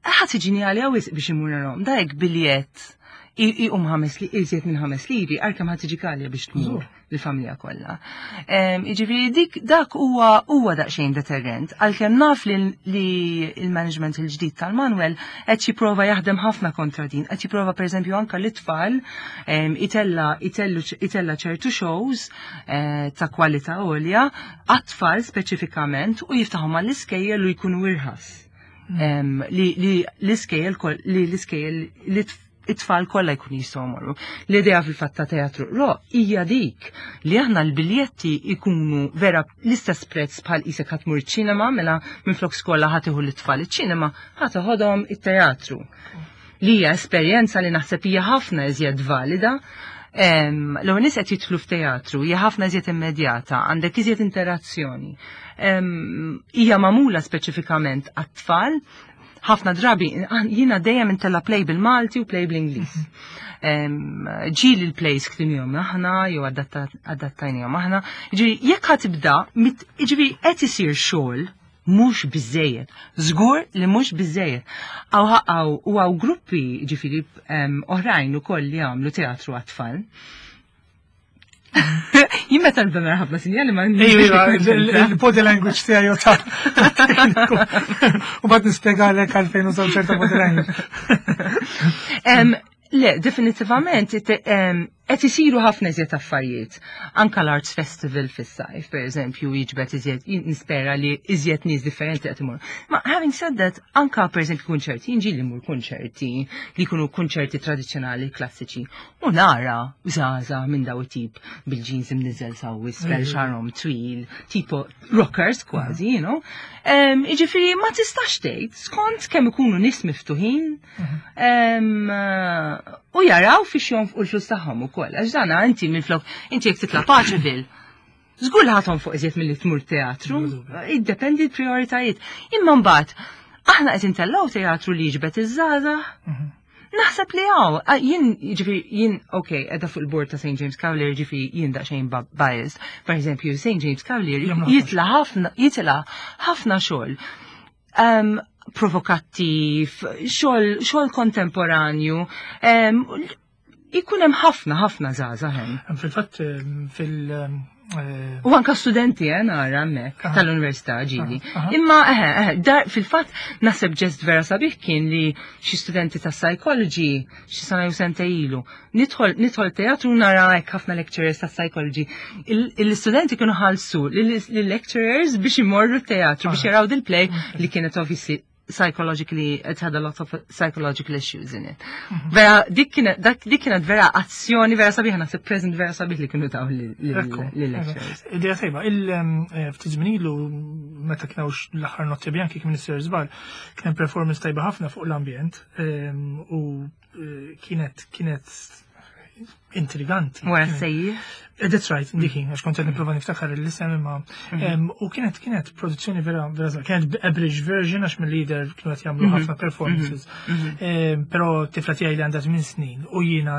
ħadd tiġini għalija wisq biex imur narahom. Da hekk biljett iqum ħames li iżjed minn ħames liri, għalkemm ħadd tiġi għalja biex tmur Żgur. l-familja kollha. Jiġifieri dik dak huwa huwa daqsxejn deterrent, għalkemm naf li li il-management il-ġdid tal-Manuel qed jipprova jaħdem ħafna kontra din, qed jipprova pereżempju anke l-itfal em, itella itellu itella ċertu shows eh, ta' kwalità għolja għat-tfal speċifikament u jiftaħhom għall-iskejjel u jkunu irħas. Em, li li l-iskejjel kol- li l-iskejjel li tf- it-tfal kollha jkun jistgħu jmorru. L-idea fil-fatt ta' teatru ro hija dik li aħna l-biljetti ikunu vera l-istess prezz bħal isek ħa tmur ċinema mela minflok skola ħa tieħu l-tfal iċ-ċinema ħa teħodhom it-teatru. Li hija esperjenza li naħseb hija ħafna iżjed valida. Em, L-ewwel nies qed jidħlu f'teatru hija ħafna iżjed immedjata, għandek iżjed interazzjoni. Em, Hija magħmula speċifikament għat-tfal, ħafna drabi jiena dejjem intella play bil-Malti u play bl-Ingliż. Em, Ġieli l-plays ktibnihom aħna jew adatta- adattajnihom aħna. Ġieli jekk ħa tibda, mit- ġifieri qed isir xogħol mhux biżejjed. Żgur li mhux biżejjed. Għaw għaw u għaw gruppi ġifieri em, oħrajn ukoll li għamlu teatru għat-tfal. Jien meta nibda nara ħafna sinjali ma Iva, il-body language tiegħi ta' tekniku. U mbagħad nispjegalek għalfejn użaw ċerta body language. Em, Le, definitivament, it- em, qed isiru ħafna iżjed affarijiet. Anka l-Arts Festival fis-sajf, per eżempju, jiġbed iżjed, nispera li iżjed nies differenti qed imorru. Ma having said that, anka per eżempju kunċerti, jien ġieli mmur kunċerti li jkunu kunċerti tradizzjonali klassiċi. U nara żgħażagħ minn daw it-tip bil-jeans imniżel saw isfel xagħarhom twil, tipo rockers kważi, you know. Em, Jiġifieri ma tistax tgħid skont kemm ikunu nies miftuħin em, u jaraw fiex jonfqu l-flus tagħhom ukoll. Għax dana inti minflok inti jekk titla' Paceville. Żgur li ħa tonfoq iżjed milli tmur teatru, iddependi l-prioritajiet. Imma mbagħad aħna qed intellgħu teatru li jiġbed iż-żgħażagħ. Naħseb li għaw, jien, ġifieri, jien, ok, edha fuq il-board ta' Saint James Cavalier, ġifieri, jien daqsxejn biased. Per eżempju, Saint James Cavalier Jagħmlu jitla ħafna, jitla ħafna xogħol. Um, provokattiv, xogħol xogħol kontemporanju, um, ikun hemm ħafna ħafna żgħażagħ hemm. Fil-fatt fil- eh, U anka studenti eh, nara hemmhekk Aha. tal-università ġieli. Aha, aha. Imma eħe, eħe, dar fil-fatt naħseb ġest vera sabiħ kien li xi studenti ta' psychology xi sena jew sentejn ilu. Nidħol nidħol teatru nara hekk ħafna lecturers ta' psychology. Il- Il-studenti kienu ħallsu lill-lecturers biex imorru teatru biex Aha. jaraw dil-play li kienet obviously psychologically, it had a lot of psychological issues in it. Vera, dik kienet, dak- dik kienet vera azzjoni, vera sabiħ, naħseb present vera sabiħ li kienu taw Ekku, lill-lecturers. Idea tajba, il-ftit żmien ilu meta kien hawn l-aħħar Notti Bianchi kien Minister Żball, kien hemm performance tajba ħafna fuq l-ambjent em, u eh, kienet kienet intriganti. Wara Kienet- sejjih. Eh, That's right, diki, għax kont qed nipprova niftakar l-isem imma em, u kienet kienet produzzjoni vera vera żgħar. Kienet abridged version għax mill-leader kienu qed jagħmlu ħafna performances. Em, Però tifla tiegħi li għandha tmien snin u jiena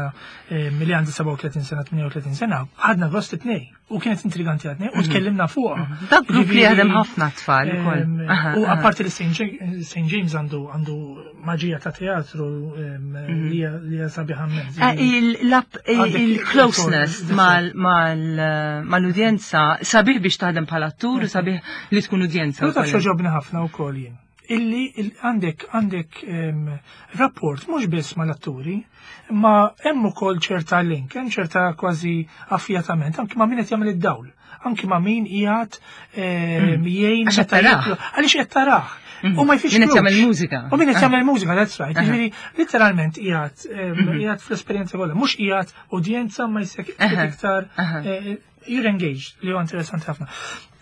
em, li għandi sebgħa u tletin sena, tmienja u tletin sena, ħadna gost it-tnejn u kienet intriganti għat-tnejn u tkellimna fuqha. Dak grupp li Ġifieri, jaħdem ħafna tfal ukoll. em, Aha, U aha. apparti li Saint James James għandu għandu maġija ta' teatru em, li hija li hija sabiħa immens. Eh, il-lap- Għandek Il-closeness il- mal- mal- mal-udjenza sabiħ biex taħdem bħala attur u sabiħ li tkun udjenza. Però taf wkoll. x'għoġobni ħafna wkoll jien. Illi il- għandek għandek em, rapport mhux biss mal-atturi, ma hemm ukoll ċerta link, hemm ċerta kważi affjatament, anki ma' min qed jagħmel id-dawl, anki ma' min qiegħed em, jgħin Għax qed meta tarah. jitlu- Għaliex qed tarah. U ma jfixklux. Min qed jagħmel mużika. U min qed Ah. jagħmel mużika, that's right. Jiġifieri literalment qiegħed em, qiegħed fl-esperjenza kollha, mhux qiegħed udjenza ma jsek Aha. iktar Aha. eh, You're engaged, li huwa interessanti ħafna.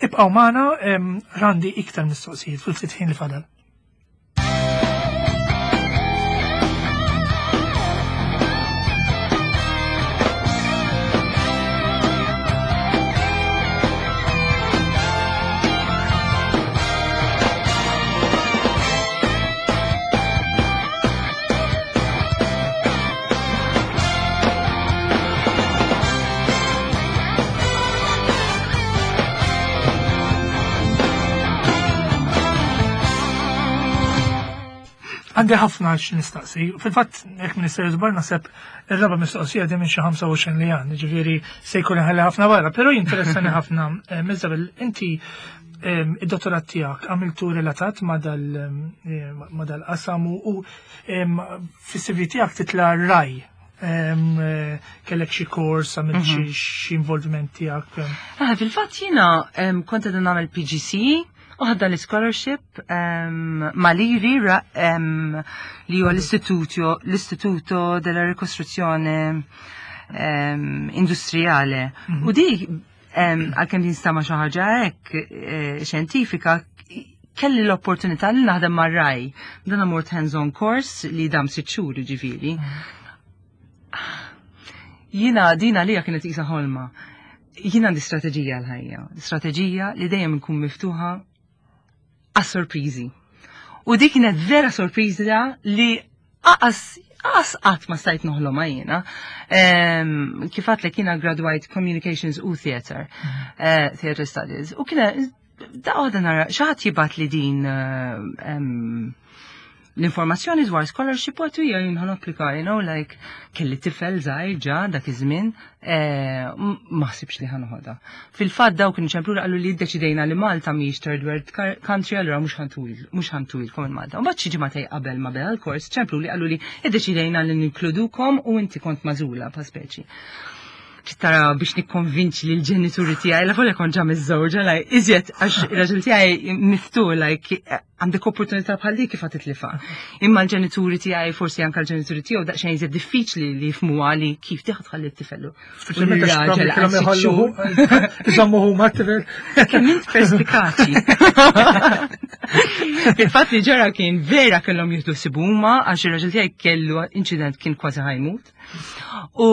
Ibqgħu magħna, għandi iktar mistoqsijiet fil-ftit ħin li fadal. Għandi ħafna x'nistaqsi. Fil-fatt, jekk Minister Żbar naħseb ir-raba' mistoqsija di minn xi ħamsa u għoxrin li għandi, ġifieri se jkun ħalli ħafna barra, però jinteressani ħafna, Isabel, inti id-dottorat tiegħek għamiltu relatat ma' dal-qasam u fis-C V tiegħek titla' Rai. Kellek xi kors, għamilt xi involviment tiegħek? Fil-fatt jiena kont qed nagħmel P G C u ħadda l-scholarship Maliri li huwa l-Istituto della Ricostruzione Industriale. U di għalkemm din stama xi ħaġa hekk xjentifika, kelli l-opportunità li naħdem mar-Rai. Dan mort hands-on course li dam sitt xhur ġifieri. Jiena din għalija kienet qisha ħolma. Jiena għandi strateġija l-ħajja, strateġija li dejjem nkun miftuħa għas-sorpriżi. U dik kienet vera sorpriża li aqas aqas qatt ma stajt noħlomha jiena. Kif għedtlek jiena graduate Communications u Theater, eh, Theater Studies. U kienet da għadha nara xi ħadd jibgħat li din l-informazzjoni dwar scholarship u għatu jien ħan applika, you know, like, kelli tifel żgħir ġa dak iż-żmien, ma ħsibx li ħanoħodha. Fil-fatt dawk kienu ċemplu qalu li ddeċidejna li Malta mhijiex third world country, allura mhux ħantuil, mhux ħantuilkom il Malta. U mbagħad xi ġimgħatej qabel ma beda l-kors ċemplu li qalu li iddeċidejna li ninkludukom u inti kont magħżula pa' speċi. Tara biex nikkonvinċi li l-ġenituri tiegħi, la volja kont ġa miżżewġa, like, iżjed għax ir-raġel tiegħi miftu, like, għandek opportunità bħal dik kif titlifha. Imma l-ġenituri tiegħi, forsi anke l-ġenituri tiegħu daqsxejn iżjed diffiċli li jifhmuha li kif tieħu tħalli t-tifel. Speċjalment għax Raġel kellhom għal sitt iħallu xhur. iżommu huma t-tifel. Kemm int perspikaċi. Il-fatt li ġara kien vera kellhom jieħdu sibuma għax ir-raġel tiegħi kellu inċident kien kważi ħajmut. U,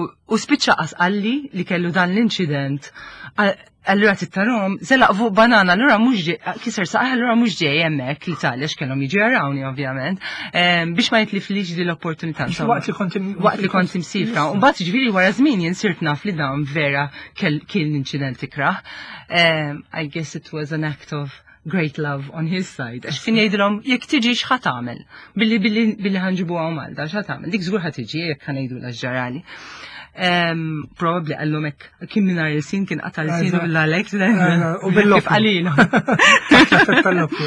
u spiċċa qas qalli li kellu dan l-inċident. Allura tittarom, zelaq fuq banana, allura mhux ġej, kiser saqaj, allura mhux ġej hemmhekk l-Italja x'kellhom jiġu jarawni ovvjament, em, biex ma jitliflix din l-opportunità, Waqt insomma. li kont im- Waqt li kont imsifra. U mbagħad ġifieri wara żmien jien sirt naf li dan vera kell-, kien l-inċident ikrah. Em, I guess it was an act of great love on his side. Għax kien jgħidilhom jekk tiġi x'ħa tagħmel? Billi, billi, billi ħanġibuha Malta, x'ħa tagħmel? Dik żgur ħa tiġi jekk ħa ngħidu l-ġarali. Em, probably qallhom hekk kien mingħajr il-sin kien qata' l-sin u bil-Alex, U bil-loppju. Kif qalilhom. Tal-loppju.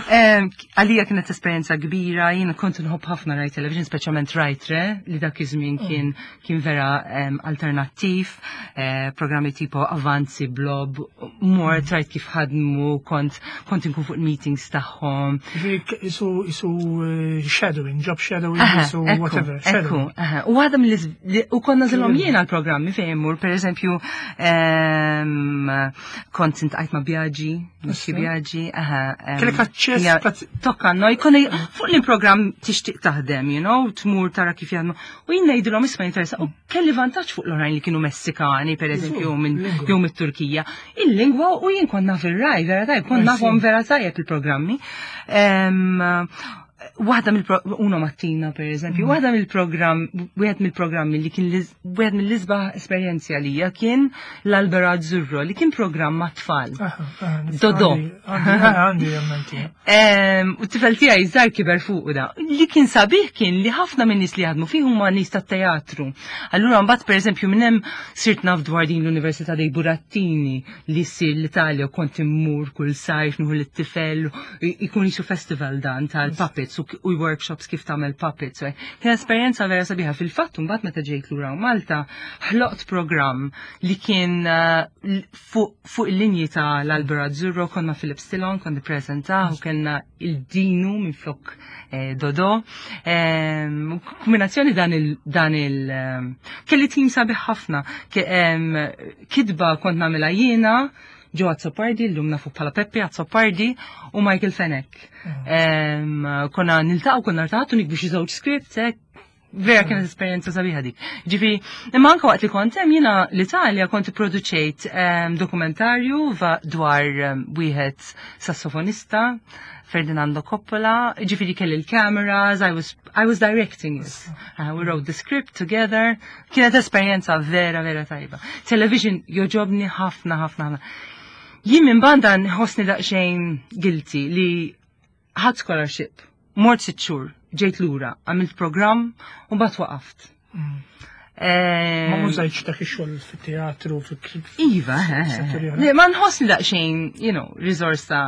Em, għalija kienet esperjenza kbira, jiena kont nħobb ħafna Rai Television, speċjalment Rai tre, li dak iż-żmien kien, kien vera, em, alternattiv, eh, programmi tipo Avanzi, Blob, mort rajt kif ħadmu, kont, kont inkun fuq meetings tagħhom. Ġifieri isu, isu, eh, shadowing, job shadowing, Aha, isu ekku, whatever, ekku, shadowing. aha. U għadha mill-, li, u konna żilhom jiena l-programmi fejn immur, per eżempju, ehm, kont intqajt ma' Biagi, Michi Issa. Biagi, aha, ehm, Kellek aċċess ja, prat- tokka, no, jkun fuq l-programm tixtieq taħdem, you know, tmur tara kif jaħdmu. U jien ngħidilhom isma' jinteressa, u kelli vantaġġ fuq l-oħrajn li kienu Messikani, per eżempju, jew minn lingwa. jew mit-Turkija. Il-lingwa u jien kont naf ir-Rai, vera tajjeb, kont I nafhom see. vera tajjeb il-programmi. Ehm, waħda mill-pro-, Uno Mattina, per eżempju, Mm. waħda mill-programm, wieħed mill-programmi li kien l-iz-, wieħed mill-isbaħ esperjenzi għalija kien l-Albero Azzurro, li kien programm ma' tfal. Aha, aha, nif- Dodo. għandi, għandi, għandi għandi. Ehm, u t-tifel tiegħi żgħar kiber fuq da. Li kien sabiħ kien li ħafna minn nies li jaħdmu fih huma nies tat-teatru. Allura mbagħad pereżempju minn hemm sirt naf dwar din l-Università dei Burattini li ssir l-Italja u kont immur kull sajf nieħu lit-tifel, i-, ikun jisu festival dan tal-puppets puppets u, u workshops kif tagħmel puppets. So, kien esperjenza vera sabiħa. Fil-fatt mbagħad meta ġejt lura Malta, ħloqt programm li kien uh, fuq fu il-linji ta' l-Albero Azzurro, konna Philip Stillon, kont nippreżentah u kellna il-Dinu minn flok eh, Dodo. Em, Kombinazzjoni dan il dan il em, kelli tim sabiħ ħafna. Ke- em, Kitba kont nagħmilha jiena, Joe Azzopardi, l-lum nafu bħala Peppe Azzopardi u Michael Fenech. Em, Konna niltaqgħu konna rtaħtu nikbu xi żewġ scripts, hekk. Vera kienet esperjenza sabiħa dik. Ġifieri, imma anke waqt li kont hemm jiena l-Italja kont ipproduċejt em, dokumentarju va- dwar em, wieħed sassofonista, Ferdinando Coppola, ġifieri kelli l-cameras, I was, I was directing it. Uh, we wrote the script together. Kienet esperjenza vera, vera tajba. Television jogħġobni ħafna, ħafna, ħafna. Jien minn banda nħossni daqsxejn guilty li ħadt scholarship, mort sitt xhur, ġejt lura, għamilt program u mbagħad waqaft. Ma Ma użajtx dak ix-xogħol fit-teatru, fit Iva, eh, setturi oħra. Le, ma nħossni daqsxejn, you know, risorsa,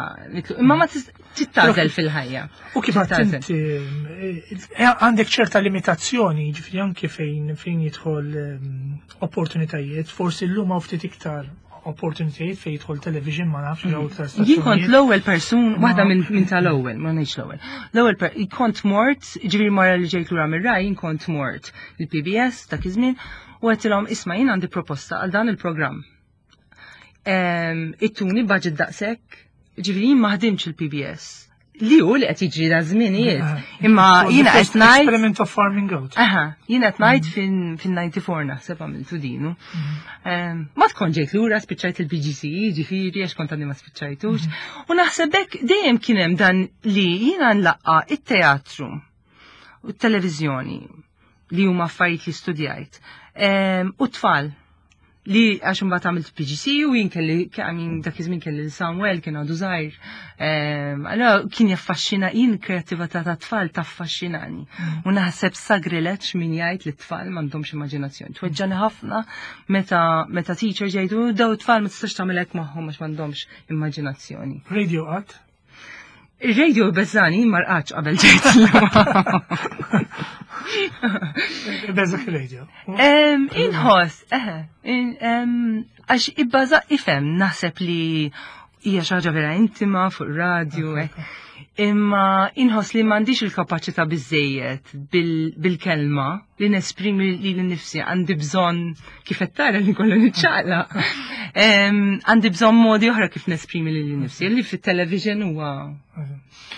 imma ma tittagħżel fil-ħajja. U kif għedt Tittagħżel. inti, eh, għandek ċerta limitazzjoni, ġifieri anke fejn fejn jidħol ehm, opportunitajiet, forsi llum hawn ftit iktar opportunitajiet fejn jidħol television, ma nafx jew iktar Jien kont stazzjonijiet. l-ewwel persun, waħda Ma- minn min tal-ewwel, ma ngħidx l-ewwel. L-ewwel per- kont mort, ġifieri mara li ġejt lura mir-Rai, jien kont mort il-P B S dak iż-żmien u għedtilhom, "Isma', jien għandi proposta għal dan il-programm. Em, Ittuni budget daqshekk, ġifieri jien ma ħdimx il-P B S. Li hu li qed jiġri da żminijiet. Imma jiena qed ngħid Experiment of farming out. Aha, jiena qed ngħid fin-disgħa u disgħin naħseb għamiltu dinu. Em, Ma tkun ġejt lura, spiċċajt il-P G C E, ġifieri, għax kont għadni ma spiċċajtux. U naħseb hekk dejjem kien hemm dan li jiena nlaqqa it-teatru u t-televiżjoni li huma affarijiet li studjajt. Em, U tfal li għax imbagħad għamilt P G C u jien kelli, I mean, dak iż-żmien kelli l-Samuel kien għadu żgħir. Em, Allora kien jaffaxxina jien kreatività ta' tfal taffaxxinani. U naħseb sagrileġġ min jgħid li t-tfal m'għandhomx immaġinazzjoni. Tweġġani ħafna meta meta teachers jgħidu, "Daw it-tfal ma tistax tagħmel hekk magħhom għax m'għandhomx immaġinazzjoni." Radio qatt? Ir-radio beżani, marqax qabel ġejt. Beżak il-radio. Em, Inħoss, eħe, in- em, għax ibbaża ifhem naħseb li hija xi ħaġa vera intima fuq radio, eh. Imma inħoss li m'għandix il-kapaċità biżejjed bil- bil-kelma li nesprimi li l-nifsi, għandi bżonn, kif qed tara li kollu niċċaqla. Em, Għandi bżonn modi oħra kif nesprimi li l-nifsi, li fit-television huwa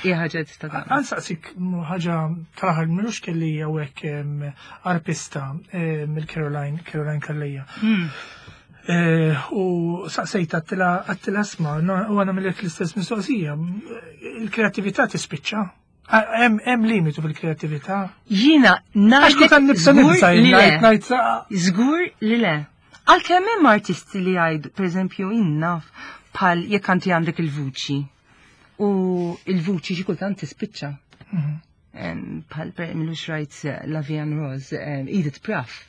hija ħaġa tista' tagħmel. Ħa nsaqsik ħaġa tal-aħħar, m'ilux kelli hawnhekk arpista mill-Caroline, Caroline Calleja. Hmm. Eh, U saqsejt għedtilha għedtilha isma', u għana millek l-istess mistoqsija. Il-kreatività tispiċċa? Hemm hemm limitu fil-kreatività? Jiena Għax kultant nibsa ngħidlek nibsa żgur li le. ngħid ngħid Żgur li le. Għalkemm hemm artisti li jgħidu, pereżempju, innaf bħal jekk anti għandek il-vuċi. U il-vuċi xi kultant tispiċċa. Em, Bħal per m'ilux rajt eh, La Vie en Rose, em, Edith Piaf.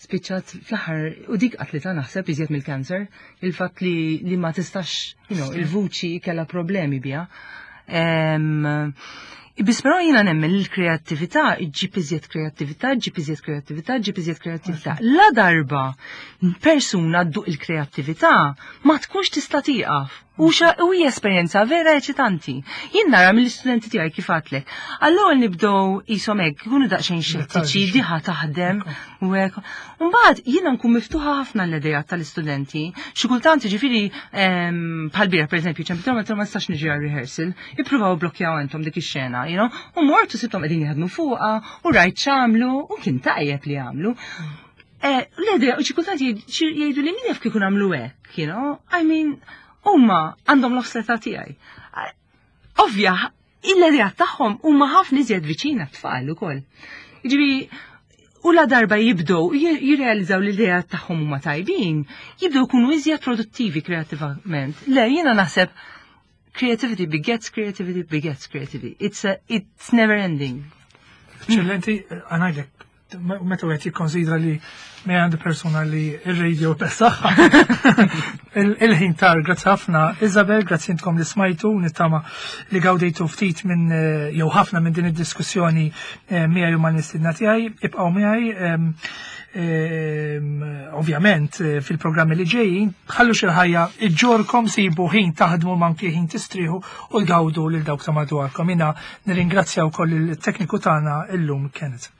Spiċċat fl-aħħar, u dik qatlita naħseb iżjed mill-kanser, il-fatt li, li ma tistax, you know, il-vuċi kella problemi biha. Em, Biss però jiena nemmen l-kreattività ġġib iżjed kreattività, ġġib iżjed kreattività, ġġib iżjed kreattività. La darba persuna dduq il-kreattività ma tkunx tista' tieqaf. U xa u hija esperjenza vera eċitanti. Jien nara mill-istudenti tiegħi, kif għedtlek. Allura nibdew qishom hekk, ikunu daqsxejn xettiċi, diħa taħdem u hekk. Mbagħad jiena nkun miftuħa ħafna l-idejat tal-istudenti. Xi kultant ġifieri em, bħal bieraħ, pereżempju, ċempilthom, għedtilhom, "Ma nistax niġi għal rehearsal, ippruvaw blokjaw intom dik ix-xena, you know? U mort u sibthom qegħdin jaħdmu fuqha u rajt x'għamlu u kien tajjeb li għamlu. Eh, L-idea, u xi kultant jgħidu li min jaf kieku nagħmlu hekk, you know? I mean, huma għandhom nofs l-età tiegħi. Ovvja, l-idea tagħhom huma ħafna iżjed viċina t-tfal ukoll. Jiġifieri, u la darba jibdew jirrealizzaw li l-idea tagħhom huma tajbin, jibdew jkunu iżjed produttivi kreativament. Le, jiena naħseb creativity begets creativity begets creativity. It's a, it's never ending. Eccellenti, ħa ngħidlek, meta għet jikkonsidra li me għandi persona li il-radio beżagħha. Il-ħin tar, grazzi ħafna Isabel, grazzi intkom li smajtu, nittama li gawdejtu ftit minn eh, jew ħafna minn din id-diskussjoni eh, miegħi u mal-mistedna tiegħi, ibqgħu miegħi em, em, ovvjament eh, fil-programmi li ġejjin, ħallu xi ħajja iġġorkom sibu ħin taħdmu manki ħin tistrieħu u tgawdu lil dawk ta' madwarkom. Jiena nirringrazzja wkoll il-tekniku tagħna illum Kenneth.